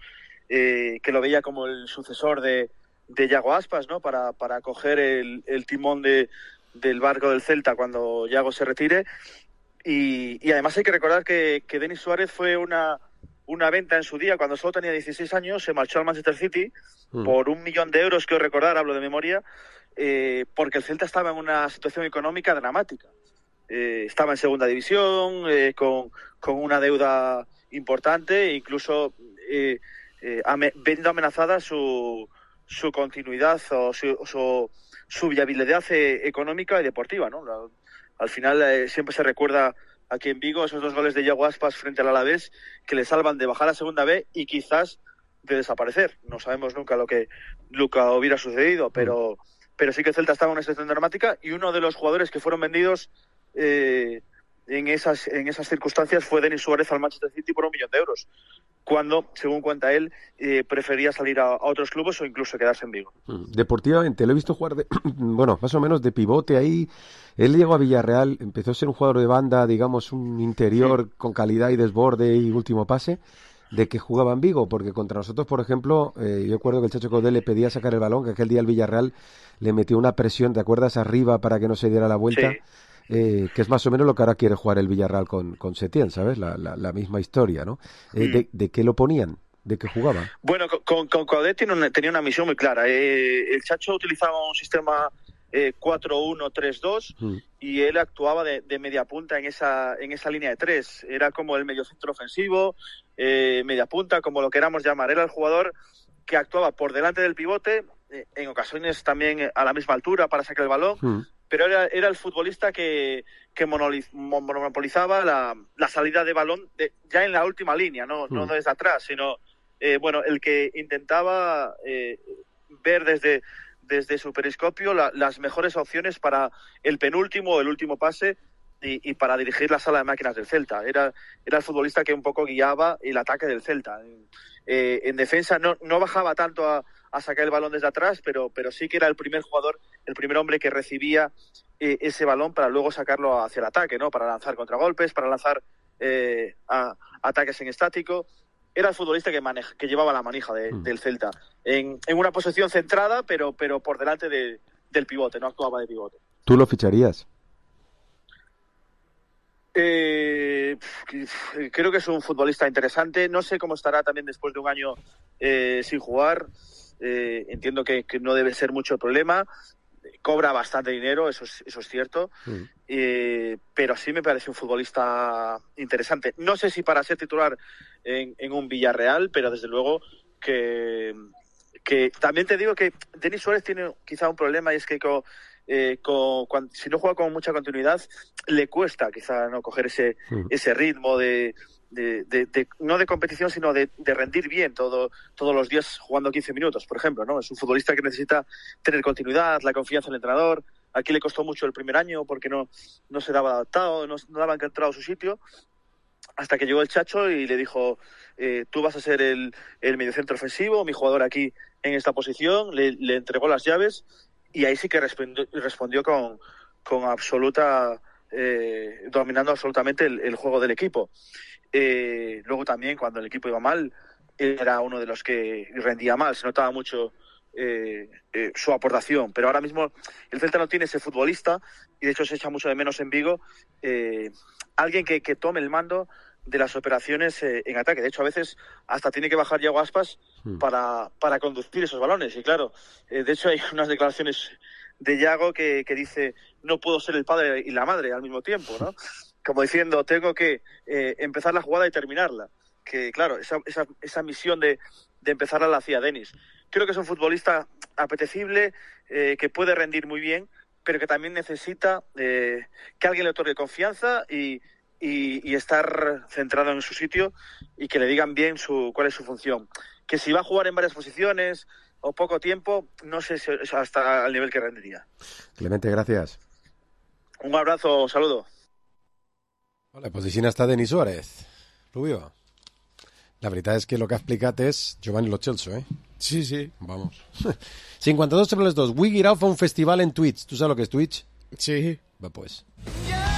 que lo veía como el sucesor de Yago Aspas, ¿no? Para coger el timón del barco del Celta cuando Yago se retire. Y además hay que recordar que Denis Suárez fue una venta en su día. Cuando solo tenía 16 años se marchó al Manchester City por 1 millón de euros, que os recordar, hablo de memoria, porque el Celta estaba en una situación económica dramática. Estaba en segunda división, con una deuda importante, e incluso viendo amenazada su continuidad o su viabilidad económica y deportiva, ¿no? Al final siempre se recuerda aquí en Vigo esos 2 goles de Yago Aspas frente al Alavés que le salvan de bajar a segunda B y quizás de desaparecer. No sabemos nunca lo que hubiera sucedido, pero sí que el Celta estaba en una situación dramática, y uno de los jugadores que fueron vendidos en esas circunstancias fue Denis Suárez al Manchester City por 1 millón de euros, cuando, según cuenta él, prefería salir a otros clubes o incluso quedarse en Vigo. Deportivamente, lo he visto jugar más o menos de pivote ahí. Él llegó a Villarreal, empezó a ser un jugador de banda, digamos, un interior con calidad y desborde y último pase, de que jugaba en Vigo, porque contra nosotros, por ejemplo, yo recuerdo que el Chacho Caudé le pedía sacar el balón, que aquel día el Villarreal le metió una presión, ¿te acuerdas? Arriba para que no se diera la vuelta. Sí. Que es más o menos lo que ahora quiere jugar el Villarreal con Setién, ¿sabes? La misma historia, ¿no? ¿De qué lo ponían? ¿De qué jugaba? Bueno, con Caudet tenía una misión muy clara. El Chacho utilizaba un sistema 4-1-3-2 y él actuaba de media punta en esa línea de tres. Era como el mediocentro ofensivo, media punta, como lo queramos llamar. Era el jugador que actuaba por delante del pivote, en ocasiones también a la misma altura para sacar el balón, pero era el futbolista que monopolizaba la salida de balón ya en la última línea, no desde atrás, sino el que intentaba ver desde su periscopio las mejores opciones para el penúltimo o el último pase y para dirigir la sala de máquinas del Celta. Era el futbolista que un poco guiaba el ataque del Celta. En defensa no bajaba tanto a sacar el balón desde atrás, pero sí que era el primer jugador, el primer hombre que recibía ese balón para luego sacarlo hacia el ataque, ¿no? Para lanzar contragolpes, para lanzar ataques en estático. Era el futbolista que llevaba la manija del Celta. En una posición centrada, pero por delante del pivote, no actuaba de pivote. ¿Tú lo ficharías? Creo que es un futbolista interesante. No sé cómo estará también después de un año sin jugar. Entiendo que no debe ser mucho problema. Cobra bastante dinero, eso es cierto. Pero sí me parece un futbolista interesante. No sé si para ser titular en un Villarreal, pero desde luego que también te digo que Denis Suárez tiene quizá un problema, y es que si no juega con mucha continuidad le cuesta quizá no coger ese ritmo de no de competición, sino de rendir bien todos los días jugando 15 minutos, por ejemplo, ¿no? Es un futbolista que necesita tener continuidad, la confianza del entrenador. Aquí le costó mucho el primer año porque no se daba adaptado, no daba encontrado su sitio, hasta que llegó el Chacho y le dijo: tú vas a ser el mediocentro ofensivo, mi jugador aquí en esta posición. Le entregó las llaves y ahí sí que respondió con absoluta dominando absolutamente el juego del equipo. Luego también, cuando el equipo iba mal, era uno de los que rendía mal, se notaba mucho su aportación. Pero ahora mismo el Celta no tiene ese futbolista, y de hecho se echa mucho de menos en Vigo alguien que tome el mando de las operaciones en ataque. De hecho, a veces hasta tiene que bajar Iago Aspas para conducir esos balones. Y claro, de hecho hay unas declaraciones de Iago que dice: no puedo ser el padre y la madre al mismo tiempo, ¿no? Como diciendo, tengo que empezar la jugada y terminarla. Que claro, esa misión de empezarla la hacía Denis. Creo que es un futbolista apetecible, que puede rendir muy bien, pero que también necesita que alguien le otorgue confianza y estar centrado en su sitio, y que le digan bien cuál es su función. Que si va a jugar en varias posiciones o poco tiempo, no sé si hasta el nivel que rendiría. Clemente, gracias. Un abrazo, un saludo. La posició està Denis Suárez, Rubio. La veritat és que el que ha explicat és Giovanni Lo Celso, ¿eh? Sí. Vamos. 52 sobre les 2. Wigirao fa un festival en Twitch. ¿Tú sabes lo que es Twitch? Sí. Va, pues.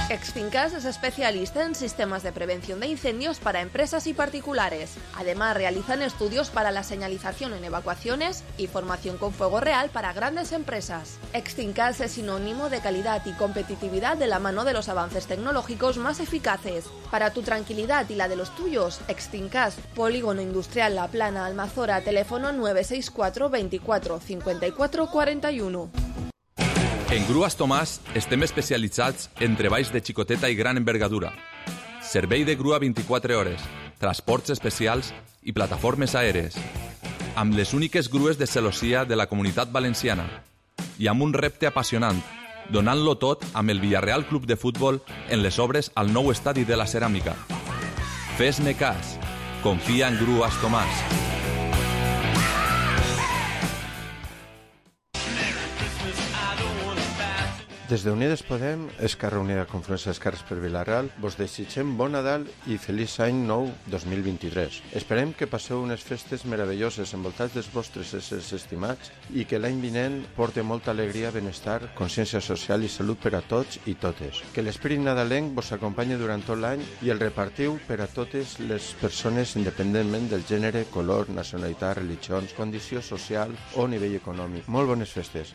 Exfincas es especialista en sistemas de prevención de incendios para empresas y particulares. Además, realizan estudios para la señalización en evacuaciones y formación con fuego real para grandes empresas. Exfincas es sinónimo de calidad y competitividad de la mano de los avances tecnológicos más eficaces. Para tu tranquilidad y la de los tuyos, Exfincas, Polígono Industrial La Plana, Almazora, teléfono 964 24 54 41. En Grues Tomàs estem especialitzats en treballs de xicoteta i gran envergadura. Servei de grua 24 hores, transports especials i plataformes aèries. Amb les úniques grues de celossia de la Comunitat Valenciana. I amb un repte apassionant, donant-lo tot amb el Villarreal Club de Futbol en les obres al nou estadi de la Ceràmica. Fes-me cas. Confia en Grues Tomàs. Des d'Unides Podem, Esquerra Unida Confluència d'Esquerres per Vila-real, vos desitgem bon Nadal i feliç any nou 2023. Esperem que passeu unes festes meravelloses envoltats dels vostres éssers estimats i que l'any vinent porte molta alegria, benestar, consciència social i salut per a tots i totes. Que l'esprit nadalenc vos acompanyi durant tot l'any i el repartiu per a totes les persones independentment del gènere, color, nacionalitat, religions, condició social o nivell econòmic. Molt bones festes.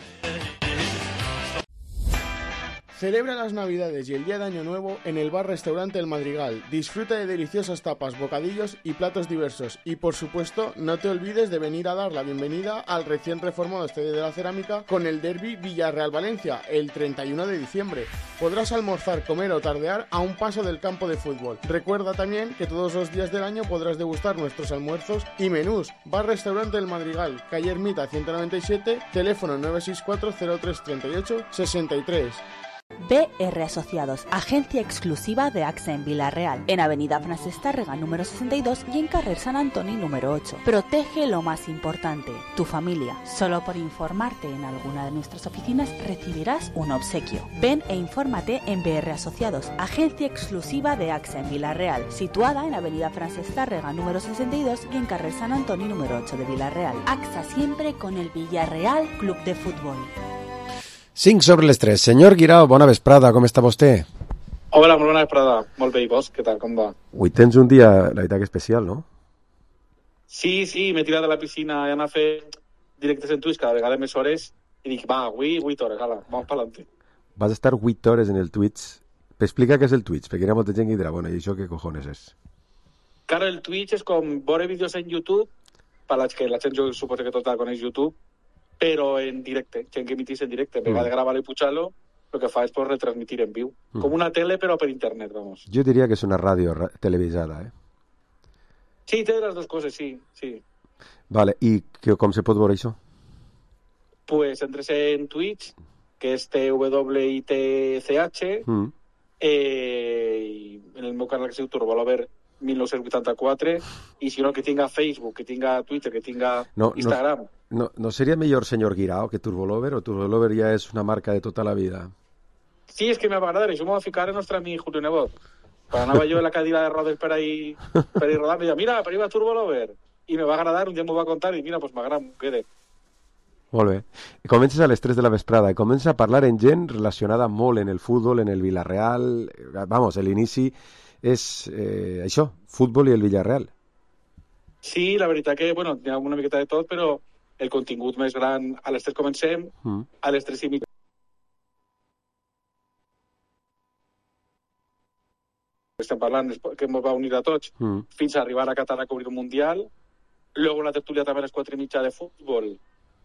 Celebra las Navidades y el Día de Año Nuevo en el bar-restaurante El Madrigal. Disfruta de deliciosas tapas, bocadillos y platos diversos. Y por supuesto, no te olvides de venir a dar la bienvenida al recién reformado Estadio de la Cerámica con el derbi Villarreal-Valencia el 31 de diciembre. Podrás almorzar, comer o tardear a un paso del campo de fútbol. Recuerda también que todos los días del año podrás degustar nuestros almuerzos y menús. Bar-restaurante El Madrigal, calle Ermita 197, teléfono 964 03 38 63. BR Asociados, agencia exclusiva de AXA en Vila-real, en Avenida Francesc Tàrrega número 62 y en Carrer Sant Antoni número 8. Protege lo más importante, tu familia. Solo por informarte en alguna de nuestras oficinas recibirás un obsequio. Ven e infórmate en BR Asociados, agencia exclusiva de AXA en Vila-real, situada en Avenida Francesc Tàrrega número 62 y en Carrer Sant Antoni número 8 de Vila-real. AXA siempre con el Villarreal Club de Fútbol. 5 sobre les 3. Senyor Guirao, bona vesprada, com està vostè? Hola, molt bona vesprada. Molt bé, i vos? Què tal, com va? Avui tens un dia, la veritat, especial, no? Sí, m'he tirat de la piscina i anar a fer directes en Twitch cada vegada més hores i dic, va, avui 8 hores, ala, vamos pa'lante. Vas estar 8 hores en el Twitch. T'explica què és el Twitch, perquè hi ha molta gent que dirà, bueno, i això què cojones és? Claro, el Twitch és com veure vídeos en YouTube, per que la gent jo suposo que tot coneix YouTube, però en directe, gent que emitís en directe. En vegada de gravar i pujar-lo, el que fa és pues, retransmitir en viu. Com una tele, però per internet, vamos. Jo diria que és una ràdio televisada, eh? Sí, té les dues coses, sí. Vale, i com se pot veure això? Pues entres en Twitch, que és TWITCH, i en el meu canal que es diu Turbolover 1984, i si no, que tinga Facebook, que tinga Twitter, que tinga Instagram. No seria millor senyor Guirao que Turbolover, o Turbolover ja és una marca de tota la vida? Sí, és que me va agradar, això m'ho va ficar el nostre amic Julio Nebot. Quan anava jo en la cadira de rodes per ahí rodant, me deia, mira, per ahí va Turbolover. I me va agradar, un dia m'ho va contar i mira, pues m'agrada, m'ho quede. Molt bé. Comences a les 3 de la vesprada i comences a parlar en gent relacionada molt en el futbol, en el Vila-real. Vamos, l'inici és això, futbol i el Villarreal. Sí, la veritat que, bueno, hi ha una miqueta de tot, però el contingut més gran, a les 3 comencem, a les 3 i mitja. Estem parlant que ens va unir a tots, fins a arribar a Qatar a cobrir un Mundial. Luego una tertúlia també a les 4 i mitja de futbol,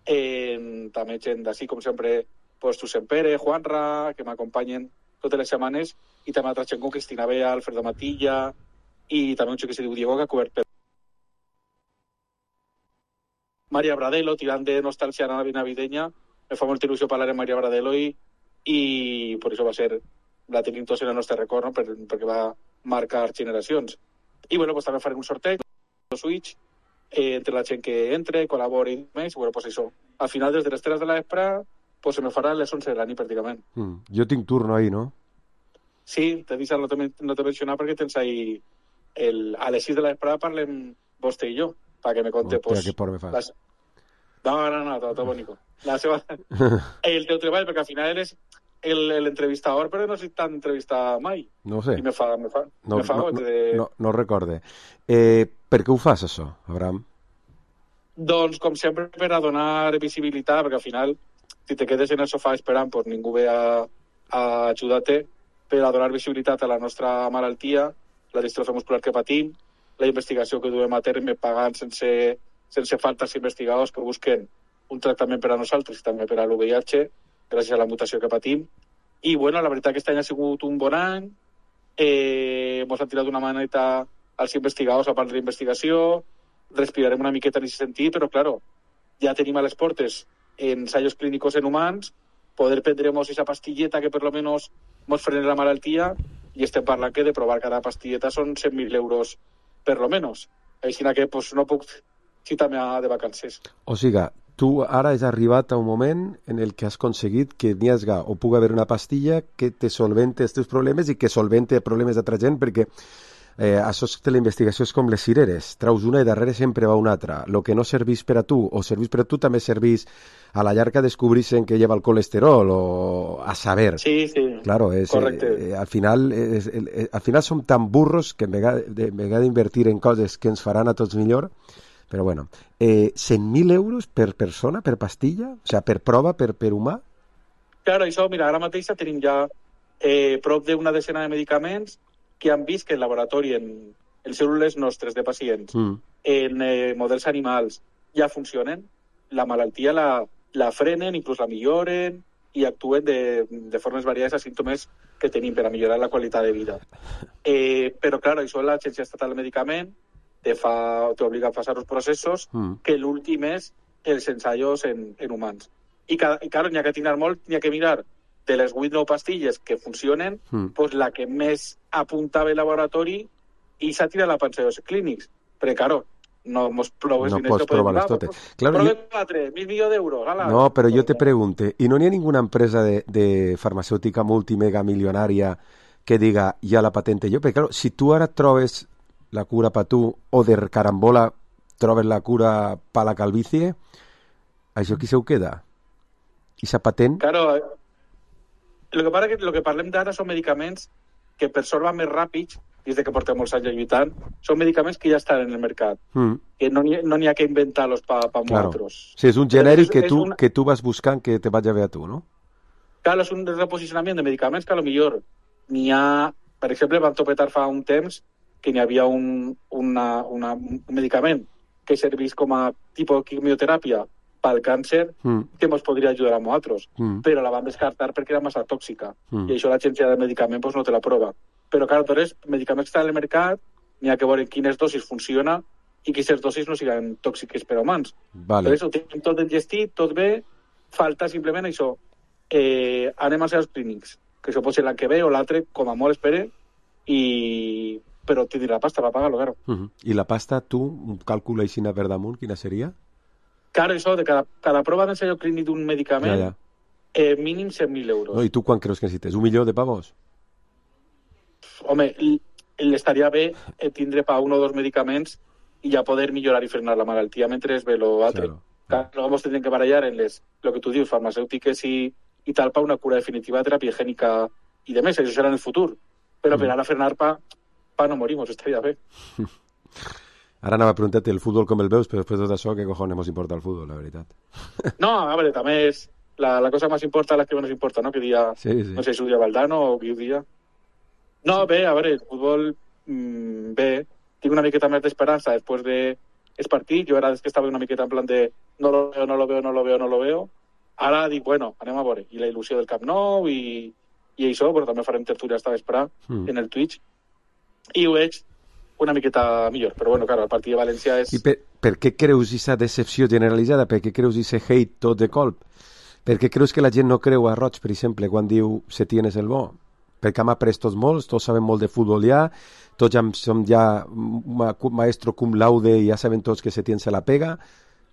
també gent d'ací, com sempre, pues, Susen Pere, Juanra, que m'acompanyen totes les setmanes, i també altra gent com Cristina Bea, Alfredo Matilla, i també un xic que se diu Diego, que ha cobert per Maria Bradelo, tirant de nostàlgia navideña. Me fa molta il·lusió parlar amb Maria Bradelo i per això va ser, la tenim tots en el nostre record, no? perquè va marcar generacions. I bueno, pues, també farem un sorteig de Switch entre la gent que entre, col·labori i més. Bueno, pues això, al final, des de les 3 de la vespre, pues se me farà les 11 de la nit, pràcticament. Jo tinc turno ahí, no? Sí, t'he dit no t'he mencionat perquè tens ahí a les 6 de la vespre parlem vostè i jo, perquè me conte pues, que por me fas. No, tot bonico. El teu treball, perquè al final eres l'entrevistador, però no sé tant entrevistar mai. No ho sé. I me fa no recorde. Per què ho fas, això, Abraham? Doncs, com sempre, per a donar visibilitat, perquè al final, si te quedes en el sofà esperant, pues ningú ve a ajudar-te, per a donar visibilitat a la nostra malaltia, la distrofia muscular que patim, la investigació que duem a terme pagant sense falta als investigadors que busquen un tractament per a nosaltres i també per a l'UVIH, gràcies a la mutació que patim. I, bueno, la veritat que aquest any ha sigut un bon any, ens han tirat una maneta als investigadors a part de la investigació, respirarem una miqueta en aquest sentit, però, claro, ja tenim a les portes ensayos clínicos en humans, poder prendremos esa pastilleta que per lo menos ens frene la malaltia, i estem parlant que de provar cada pastilleta són 100.000 euros per lo menos. Així que pues, no puc citar-me de vacances. O sigui, tu ara has arribat a un moment en el que has aconseguit que n'hi hagi o pugui haver una pastilla que te solvente els teus problemes i que solvente problemes d'altra gent, perquè això de la investigació és com les cireres, traus una i darrere sempre va una altra. Lo que no servís per a tu o servís per a tu també servís a la llarga descobrixen que lleva el colesterol o a saber. Sí, claro, correcte. Al final som tan burros que en vegada d'invertir en coses que ens faran a tots millor, però bueno, 100.000 euros per persona, per pastilla? O sigui, per prova, per humà? Claro, això, mira, ara mateix tenim ja prop d'una decena de medicaments que han vist que el laboratori en cèl·lules nostres de pacients, en models animals, ja funcionen. La malaltia la frenen, inclús la milloren i actuen de formes variades a símptomes que tenim per a millorar la qualitat de vida. Però, clar, això l'Agència Estatal del Medicament t'obliga a passar els processos que l'últim és els ensaios en humans. I, clar, n'hi ha que tirar molt, n'hi ha que mirar de les 8 o 9 pastilles que funcionen, pues la que més apuntava el laboratori i s'ha tirat la ensaios clínics. Però, claro, no mos proves no pots provar-les totes. Claro, prove 4, 1.000 milions d'euros. No, però jo te pregunte, ¿y no hi ha ninguna empresa de farmacèutica multimega milionària que diga, ja la patente jo? Perquè, claro, si tu ara trobes la cura per tu o de carambola trobes la cura per la calvície, això qui se ho queda? I sa patent? Claro, el que passa que el que parlem d'ara són medicaments que per sort van més ràpids, des que portem molts anys lluitant, són medicaments que ja estan en el mercat, que no n'hi ha que inventar-los per nosaltres. Sí, és un genèric que tu vas buscant que te vagi bé a tu, no? Clar, és un reposicionament de medicaments que potser n'hi ha... Per exemple, van topetar fa un temps que n'hi havia un medicament que servís com a tipus de quimioteràpia pel càncer que ens podria ajudar a nosaltres, però la van descartar perquè era massa tòxica i això l'agència de medicament no te la prova. Però, clar, tots medicaments que estan al mercat n'hi ha que veure quines dosis funciona i que aquestes dosis no siguin tòxiques per a humans. Vale. Per això ho tenim tot engestit, tot bé, falta simplement això. Anem als seus clínics, que això pot ser l'any que ve o l'altre, com a molt espere, però tindrà la pasta per pagar-lo, claro. I la pasta, tu, un càlcul així per damunt, quina seria? Claro, això, de cada prova d'ensaio clínic d'un medicament, mínim 100.000 euros. No, I tu quan creus que necessites? 1 milió de pavos? Home, estaria bé tindre per 1 o 2 medicaments i ja poder millorar i frenar la malaltia mentre es ve l'altre. Claro. Luego ens tindrem que barallar en lo que tu dius, farmacèutiques i tal, per una cura definitiva de teràpia gènica i de més, això serà en el futur. Però per ara frenar pa no morimos, estaria bé. Ara anava a preguntar-te el futbol com el veus, però després de tot això, què cojones nos importa el futbol, la veritat? No, a veure, també és la cosa més important, la que menos importa, no? Que dia, no sé si ho dia Valdano o qui ho dia. No, bé, a veure, el futbol, bé, tinc una miqueta més d'esperança després del partit. Jo era des que estava una miqueta en plan de no lo veo. Ara dic, bueno, anem a veure. I la il·lusió del Camp Nou i això, però també farem tertúlia esta vesprà en el Twitch. I ho veig una miqueta millor, però bueno, claro, el partit de València és... I per què creus aquesta decepció generalitzada? Per què creus aquest hate tot de colp? Per què creus que la gent no creu a Roig, per exemple, quan diu Setién és el bo? Perquè hem après tots molts, tots sabem molt de futbol ja, tots ja som ja maestro cum laude i ja sabem tots que Setién se la pega.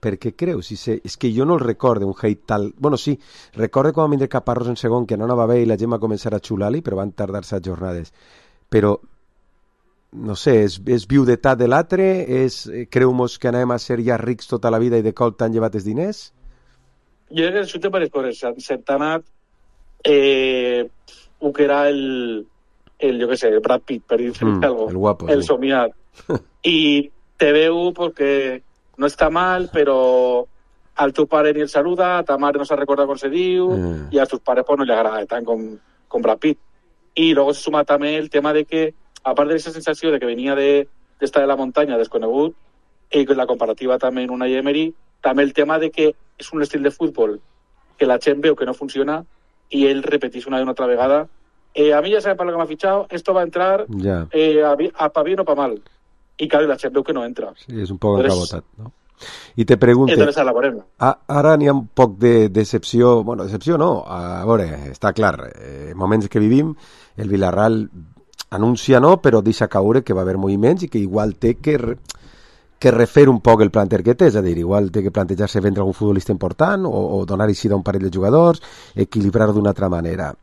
Per què creus? És que jo no el recordo un hate tal... Bueno, sí, recordo com a vindre Caparrós en segon, que no anava bé i la gent va començar a xular-li, però van tardar-se jornades. Però no sé, és viudetat de l'altre? Creu-mos que anem a ser ja rics tota la vida i de cop t'han llevat els diners? Jo crec que això té per les coses. S'ha anat el que era el jo què sé, el Brad Pitt, per dir-se algo. El guapo. El somiat. I te veu perquè no està mal, però al teu pare ni el saluda, a ta mare no se recorda com se diu, i als teus pares pues, no li agrada tant com Brad Pitt. I luego se suma també el tema de que a part de aquesta sensació de que venia d'estar de la muntanya desconegut, i la comparativa també en una Emery, també el tema de que és un estil de futbol que la gent veu que no funciona i ell repetís una i una altra vegada. A mi ja sabem per lo que m'ha fitxat, esto va a entrar pa bien o pa mal. I claro, la gent veu que no entra. Sí, és un poc encabotat, no? I te pregunte, ara n'hi ha un poc de decepció, bueno, decepció no, a veure, està clar, moments que vivim, el Villarreal anuncia no, però deixa caure que va haver moviments i que igual té que que refer un poc el planter que té, és a dir, igual té que plantejar-se vendre algun futbolista important o donar eixida a un parell de jugadors, equilibrar d'una altra manera.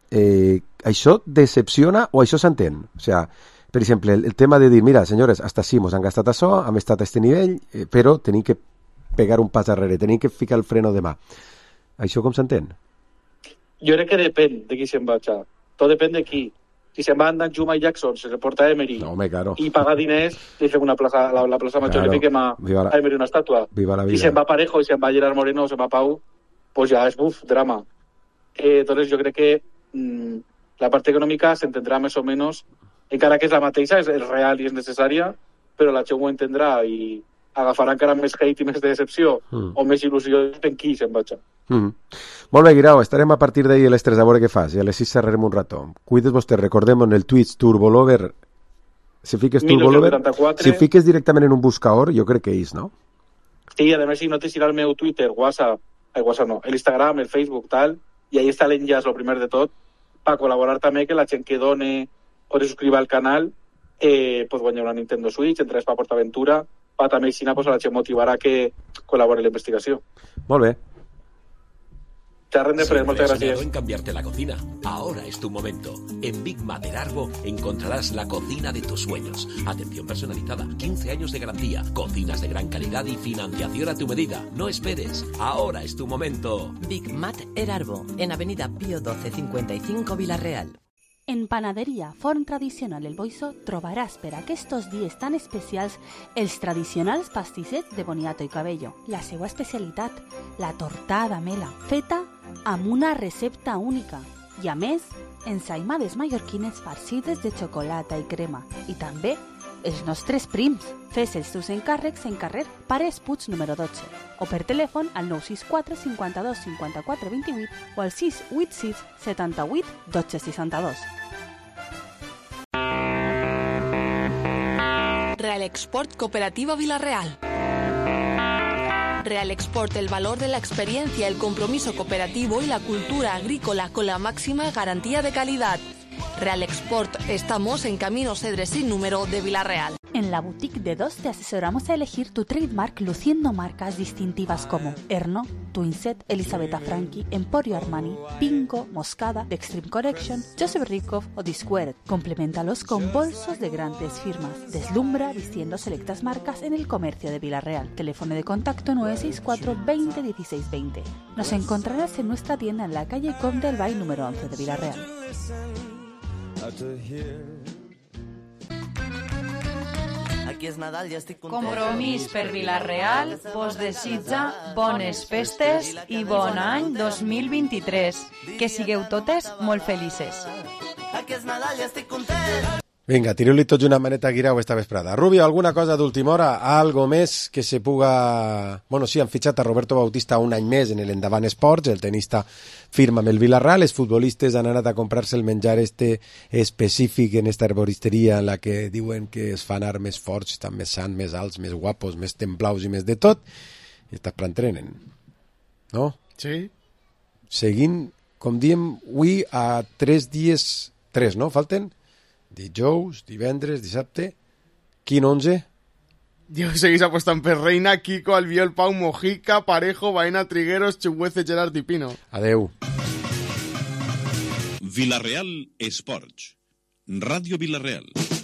Això decepciona o això s'entén? O sigui, per exemple, el tema de dir, mira, senyores, hasta sí, mos han gastat això, hem estat a aquest nivell, però tenim que pegar un pas darrere, tenim que ficar el freno de mà. Això com s'entén? Jo crec que depèn de qui se'n va. Tot depèn de qui. Si se'n va andant Juma i Jackson, se reporta a Emery i paga diners, li fem la plaça major, li fiquem a Emery una estàtua. Si se'n va Parejo i se'n va Gerard Moreno o se'n va Pau, pues ja és drama. Entonces jo crec que la part econòmica s'entendrà més o menys, encara que és la mateixa, és real i és necessària, però la gent ho entendrà i agafarà encara més hate i més decepció o més il·lusió en qui se'n vaig. Molt bé, Guirao, estarem a partir d'ahir a les 3 a veure què fas i a les 6 xerrarem un rato. Cuides vostè, recordem en el Twitch Turbolover, si fiques Turbolover, si fiques directament en un buscador, jo crec que és, no? Sí, a més si no t'eixirà el meu Twitter, WhatsApp no, l'Instagram, el Facebook, tal, i ahí està l'enllaç, el primer de tot, per col·laborar també, que la gent que done o se subscriva al canal pot guanyar una Nintendo Switch, entres per PortAventura, també si pues, a la gent motivarà que col·labori en la investigació. Molt bé. Charren de Fred, muchas gracias. En cambiarte la cocina. Ahora es tu momento. En Big Mat Erarbo encontrarás la cocina de tus sueños. Atención personalizada, 15 años de garantía, cocinas de gran calidad y financiación a tu medida. No esperes. Ahora es tu momento. Big Mat Erarbo, en Avenida Pío 12 55 Vila-real. En Panaderia Forn Tradicional El Boixo trobaràs per aquests dies tan especials els tradicionals pastissets de boniato i cabello. La seva especialitat, la tortada mela, feta amb una recepta única. I a més, ensaïmades mallorquines farcides de xocolata i crema. I també els nostres prims. Fes els teus encàrrecs en carrer Pares Puig número 12 o per telèfon al 964 52 54 28 o al 686 78 12 62. Real Export Cooperativa Vila-real. Real Export, el valor de la experiencia, el compromiso cooperativo y la cultura agrícola con la máxima garantía de calidad. Real Export, estamos en Camino Cedres sin número de Vila-real. En la boutique de Dos te asesoramos a elegir tu trademark luciendo marcas distintivas como Erno, Twinset, Elisabetta Franchi, Emporio Armani, Pinco, Moscada, The Extreme Collection, Joseph Rickoff o Disquared. Compleméntalos con bolsos de grandes firmas. Deslumbra vistiendo selectas marcas en el comercio de Vila-real. Teléfono de contacto 964 20 16 20. Nos encontrarás en nuestra tienda en la calle Comte del Bay número 11 de Vila-real. Compromís per Vila-real vos desitja bones festes i bon any 2023. Que sigueu totes molt felices. Vinga, tireu-li tots una maneta a Guirao esta vesprada. Rubio, alguna cosa d'última hora? Algo més que se puga... Bueno, sí, han fitxat a Roberto Bautista un any més en l'Endavant Esports, el tenista firma amb el Vila-real, els futbolistes han anat a comprar-se el menjar específic en esta herboristeria en la que diuen que es fan armes forts, estan més sants, més alts, més guapos, més templaus i més de tot, i estas preentrenen. No? Sí. Seguint, com diem, avui a 3 dies... 3, no? Falten? Dijous, divendres, dissabte... Quin 11? Dios, seguís apostant per Reina, Kiko, Albiol, Pau, Mojica, Parejo, Baena, Trigueros, Chuguece, Gerard i Pino. Adeu. Vila-real Esports. Ràdio Vila-real.